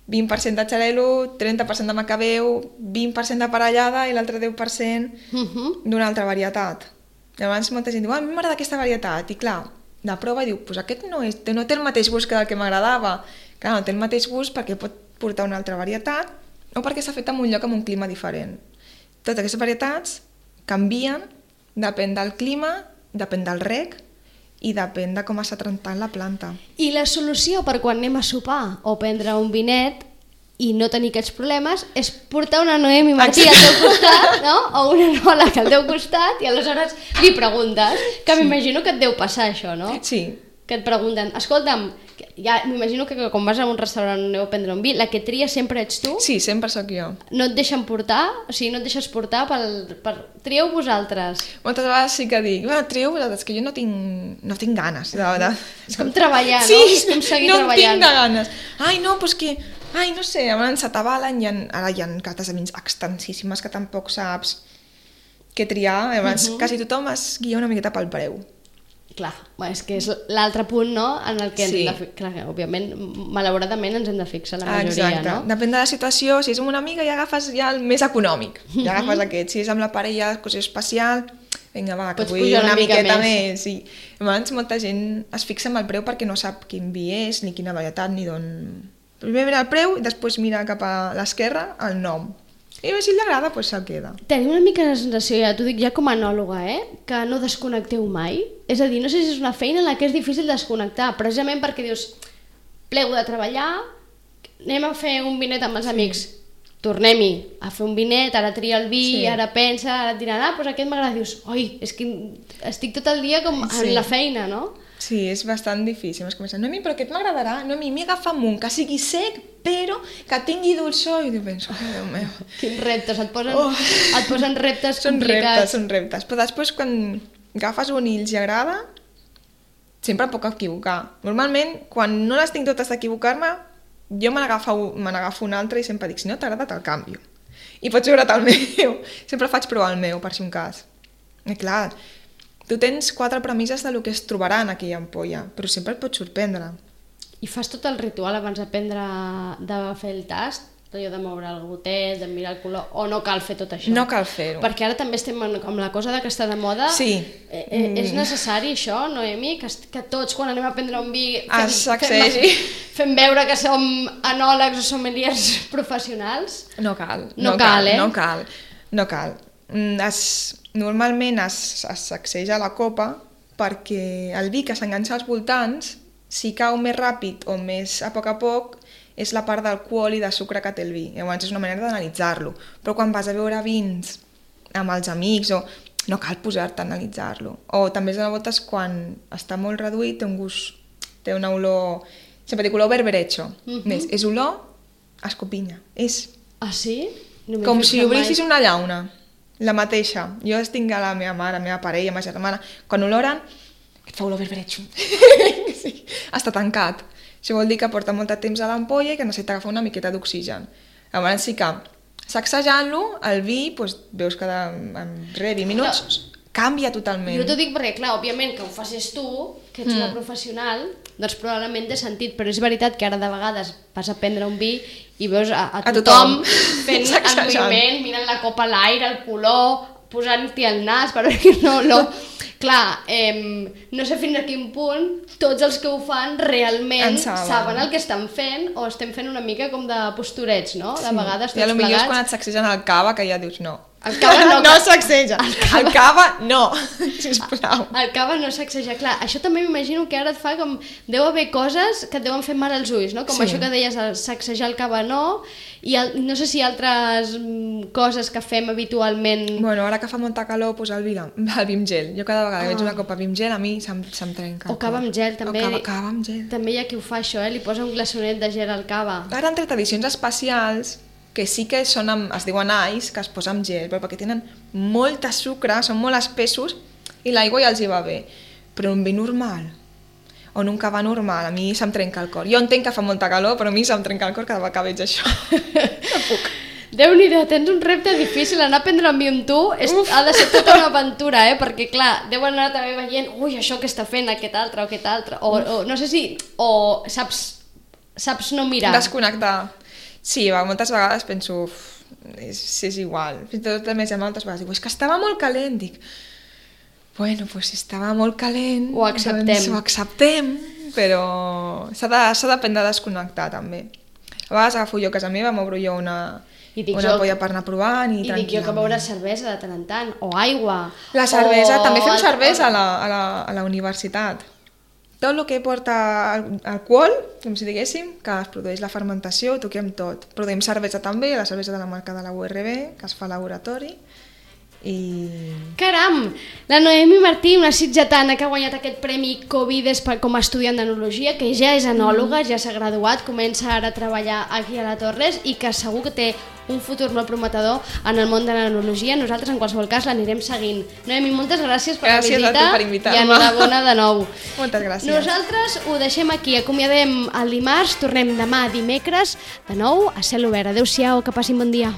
Speaker 3: vint per cent de xarelo, trenta per cent de macabeu, vint per cent de parellada i l'altre deu per cent uh-huh. d'una altra varietat. Llavors molta gent diu, ah, a mi m'agrada aquesta varietat, i clar, la prova i diu, pues aquest no, és, no té el mateix gust que el que m'agradava. Clar, no té el mateix gust perquè pot portar una altra varietat o perquè s'ha fet en un lloc amb un clima diferent. Totes aquestes varietats canvien, depèn del clima, depèn del reg i depèn de com està tratant la planta.
Speaker 2: I la solució per quan anem a sopar o prendre un vinet i no tenir aquests problemes és portar una Noemi Martí al teu costat, no? O una Nòleg al teu costat i aleshores li preguntes, que
Speaker 3: Sí.
Speaker 2: m'imagino que et deu passar això, no?
Speaker 3: Sí.
Speaker 2: Que et pregunten, escolta'm, ja m'imagino que quan vas a un restaurant o aneu a prendre un vi, la que tria sempre ets tu?
Speaker 3: Sí, sempre sóc jo.
Speaker 2: No et deixen portar? O sigui, no et deixes portar pel, per... Trieu vosaltres.
Speaker 3: Moltes vegades sí que dic, bueno, trieu vosaltres, que jo no tinc, no tinc ganes. De, de...
Speaker 2: És com treballar,
Speaker 3: sí,
Speaker 2: no? És com seguir
Speaker 3: no
Speaker 2: treballant.
Speaker 3: tinc de ganes. Ai, no, doncs que... Ai, no sé, abans se t'avalen, hi ha, ara hi ha cates de vins extensíssimes que tampoc saps què triar. Abans uh -huh. quasi tothom es guia una miqueta pel preu.
Speaker 2: Clar, bueno, és que és l'altre punt, no?, en el que ens
Speaker 3: Sí.
Speaker 2: hem de fi- clar, òbviament, malauradament ens hem de fixar la majoria,
Speaker 3: Exacte.
Speaker 2: no?
Speaker 3: Depèn de la situació, si és amb una amiga ja agafes ja el més econòmic, ja agafes aquest. Si és amb la parella, cosa especial, vinga, va, que
Speaker 2: Pots
Speaker 3: vull
Speaker 2: pujar
Speaker 3: una,
Speaker 2: una mica
Speaker 3: miqueta
Speaker 2: més.
Speaker 3: més. Sí. Abans molta gent es fixa en el preu perquè no sap quin vi és, ni quina varietat, ni d'on... Primer mira el preu i després mira cap a l'esquerra el nom. I si li agrada, doncs se'l queda.
Speaker 2: Tenim una mica la sensació, ja t'ho dic ja com a anòloga, eh? Que no desconnecteu mai. És a dir, no sé si és una feina en la que és difícil desconnectar, precisament perquè dius, plego de treballar, anem a fer un vinet amb els sí. amics, tornem-hi a fer un vinet, ara tria el vi,
Speaker 3: Sí.
Speaker 2: ara pensa, ara et diran, ah, doncs aquest m'agrada, dius, oi, és que estic tot el dia com
Speaker 3: Sí.
Speaker 2: en la feina, no?
Speaker 3: Sí, és bastant difícil. Es comença, Noemi, però aquest m'agradarà. Noemi, m'hi agafa un, que sigui sec, però que tingui dolçor. I jo penso, ai, Déu meu.
Speaker 2: Quins reptes, et posen,
Speaker 3: Oh.
Speaker 2: et posen reptes
Speaker 3: Són
Speaker 2: complicats.
Speaker 3: reptes, són reptes. Però després, quan agafes un i els agrada, sempre em puc equivocar. Normalment, quan no les tinc totes d'equivocar-me, jo me n'agafo me n'agafo un altre i sempre dic, si no t'agrada, te'l canvio. I pots veure't el meu. Sempre faig provar el meu, per si un cas. I clar, tu tens quatre premisses del que es trobarà en aquella ampolla, però sempre et pots sorprendre.
Speaker 2: I fas tot el ritual abans d'aprendre de fer el tast? Allò de moure el gotet, de mirar el color, o no cal fer tot això?
Speaker 3: No cal fer-ho.
Speaker 2: Perquè ara també estem en- amb la cosa de que està de moda.
Speaker 3: Sí.
Speaker 2: Eh, eh,
Speaker 3: Mm.
Speaker 2: És necessari això, Noemi? Que, est- que tots, quan anem a prendre un vi,
Speaker 3: Es sacsegi.
Speaker 2: fem, fem veure que som anòlegs o sommeliers professionals?
Speaker 3: No cal.
Speaker 2: No cal, eh?
Speaker 3: No cal, no cal. Mm, Es, normalment es, es sacseja la copa perquè el vi que s'enganxa als voltants, si cau més ràpid o més a poc a poc, és la part d'alcohol i de sucre que té el vi. Llavors és una manera d'analitzar-lo. Però quan vas a veure vins amb els amics, o no cal posar-te a analitzar-lo. O també es dona voltes quan està molt reduït, té un gust, té una olor, sempre dic olor berberecho.
Speaker 2: Mhm.
Speaker 3: Més, és olor a escopinya. És
Speaker 2: Ah, sí? No m'he
Speaker 3: com
Speaker 2: fixat
Speaker 3: si obrissis
Speaker 2: mai.
Speaker 3: una llauna, la mateixa. Jo es tinc a la meva mare, la meva parella, la meva germana, quan oloren, et fa olor berberecho. Sí, està tancat. Això vol dir que porta molt de temps a l'ampolla i que necessita agafar una miqueta d'oxigen. Llavors sí que, sacsejant-lo, el vi, doncs, veus que de, en res, vint minuts,
Speaker 2: Clar.
Speaker 3: canvia totalment.
Speaker 2: Jo t'ho dic perquè, clar, òbviament que ho facis tu, que ets mm. una professional, doncs probablement té sentit, però és veritat que ara de vegades vas a prendre un vi i veus a, a,
Speaker 3: A
Speaker 2: tothom,
Speaker 3: tothom.
Speaker 2: fent el
Speaker 3: Sacsejant.
Speaker 2: moviment, mirant la copa a l'aire, el color, posant-hi el nas, però que no, no... Clar, eh, no sé fins a quin punt tots els que ho fan realment
Speaker 3: En saben.
Speaker 2: saben el que estan fent o estem fent una mica com de posturets, no? De vegades
Speaker 3: I a
Speaker 2: tots
Speaker 3: lo millor és
Speaker 2: plegats.
Speaker 3: quan et sacsegen el cava que ja dius no.
Speaker 2: El cava no,
Speaker 3: no
Speaker 2: que-
Speaker 3: sacseja. El cava, el cava no, sisplau.
Speaker 2: El cava no sacseja, clar. Això també m'imagino que ara et fa com... Deu haver coses que et deuen fer mal als ulls, no? Com
Speaker 3: Sí.
Speaker 2: això que deies, el sacsejar el cava no, i el, no sé si altres mm, coses que fem habitualment...
Speaker 3: Bueno, ara que fa molta calor, pues el vi, el vi amb gel. Jo cada vegada que
Speaker 2: Ah.
Speaker 3: veig una copa vi amb gel, a mi se'm, se'm trenca. el
Speaker 2: O cava
Speaker 3: cor.
Speaker 2: amb gel, també.
Speaker 3: O cava, cava amb gel.
Speaker 2: També hi ha qui ho fa, això, eh? Li posa un glaçonet de gel al cava.
Speaker 3: Ara han tret edicions especials que sí que són amb, es diuen ice, que es posa amb gel, però perquè tenen molt de sucre, són molt espessos i l'aigua ja els hi va bé. Però un vi normal, o en un cava normal, a mi se'm trenca el cor. Jo entenc que fa molta calor, però a mi se'm trenca el cor cada vegada que veig això. No puc.
Speaker 2: Déu-n'hi-do, tens un repte difícil, anar a prendre un vi amb tu és, ha de ser tota una aventura, eh? Perquè clar, deuen anar també veient, ui, això que està fent aquest altre o aquest altre, o, o no sé si, o saps, saps no mirar.
Speaker 3: Desconnectar. Sí, va, moltes vegades penso, uf, és, és igual. Fins i tot la meva germana moltes vegades diu, és que estava molt calent. Dic, bueno, pues si estava molt calent,
Speaker 2: Ho acceptem.
Speaker 3: doncs ho acceptem. però s'ha d'aprendre a desconnectar també. A vegades agafo jo a casa meva, m'obro jo una, una polla per anar provant i,
Speaker 2: i dic jo que beure cervesa de tant en tant, o aigua.
Speaker 3: La cervesa,
Speaker 2: o...
Speaker 3: també fem cervesa a la, a la, a la universitat. Tot el que porta alcohol, com si diguéssim, que es produeix la fermentació, ho toquem tot. Produïm cervesa també, la cervesa de la marca de la U R B, que es fa a laboratori. I...
Speaker 2: Caram! La Noemi Martí, una sitgetana que ha guanyat aquest premi Covides com a estudiant d'enologia, que ja és enòloga, ja s'ha graduat, comença ara a treballar aquí a la Torres i que segur que té un futur molt prometedor en el món de l'enologia. Nosaltres, en qualsevol cas, l'anirem seguint. Noemi, moltes gràcies per
Speaker 3: gràcies
Speaker 2: la visita
Speaker 3: per invitar-me.
Speaker 2: I enhorabona de nou.
Speaker 3: Moltes gràcies.
Speaker 2: Nosaltres ho deixem aquí, acomiadem el dimarts, tornem demà dimecres, de nou a Cel Obert. Adéu-siau, que passin bon dia.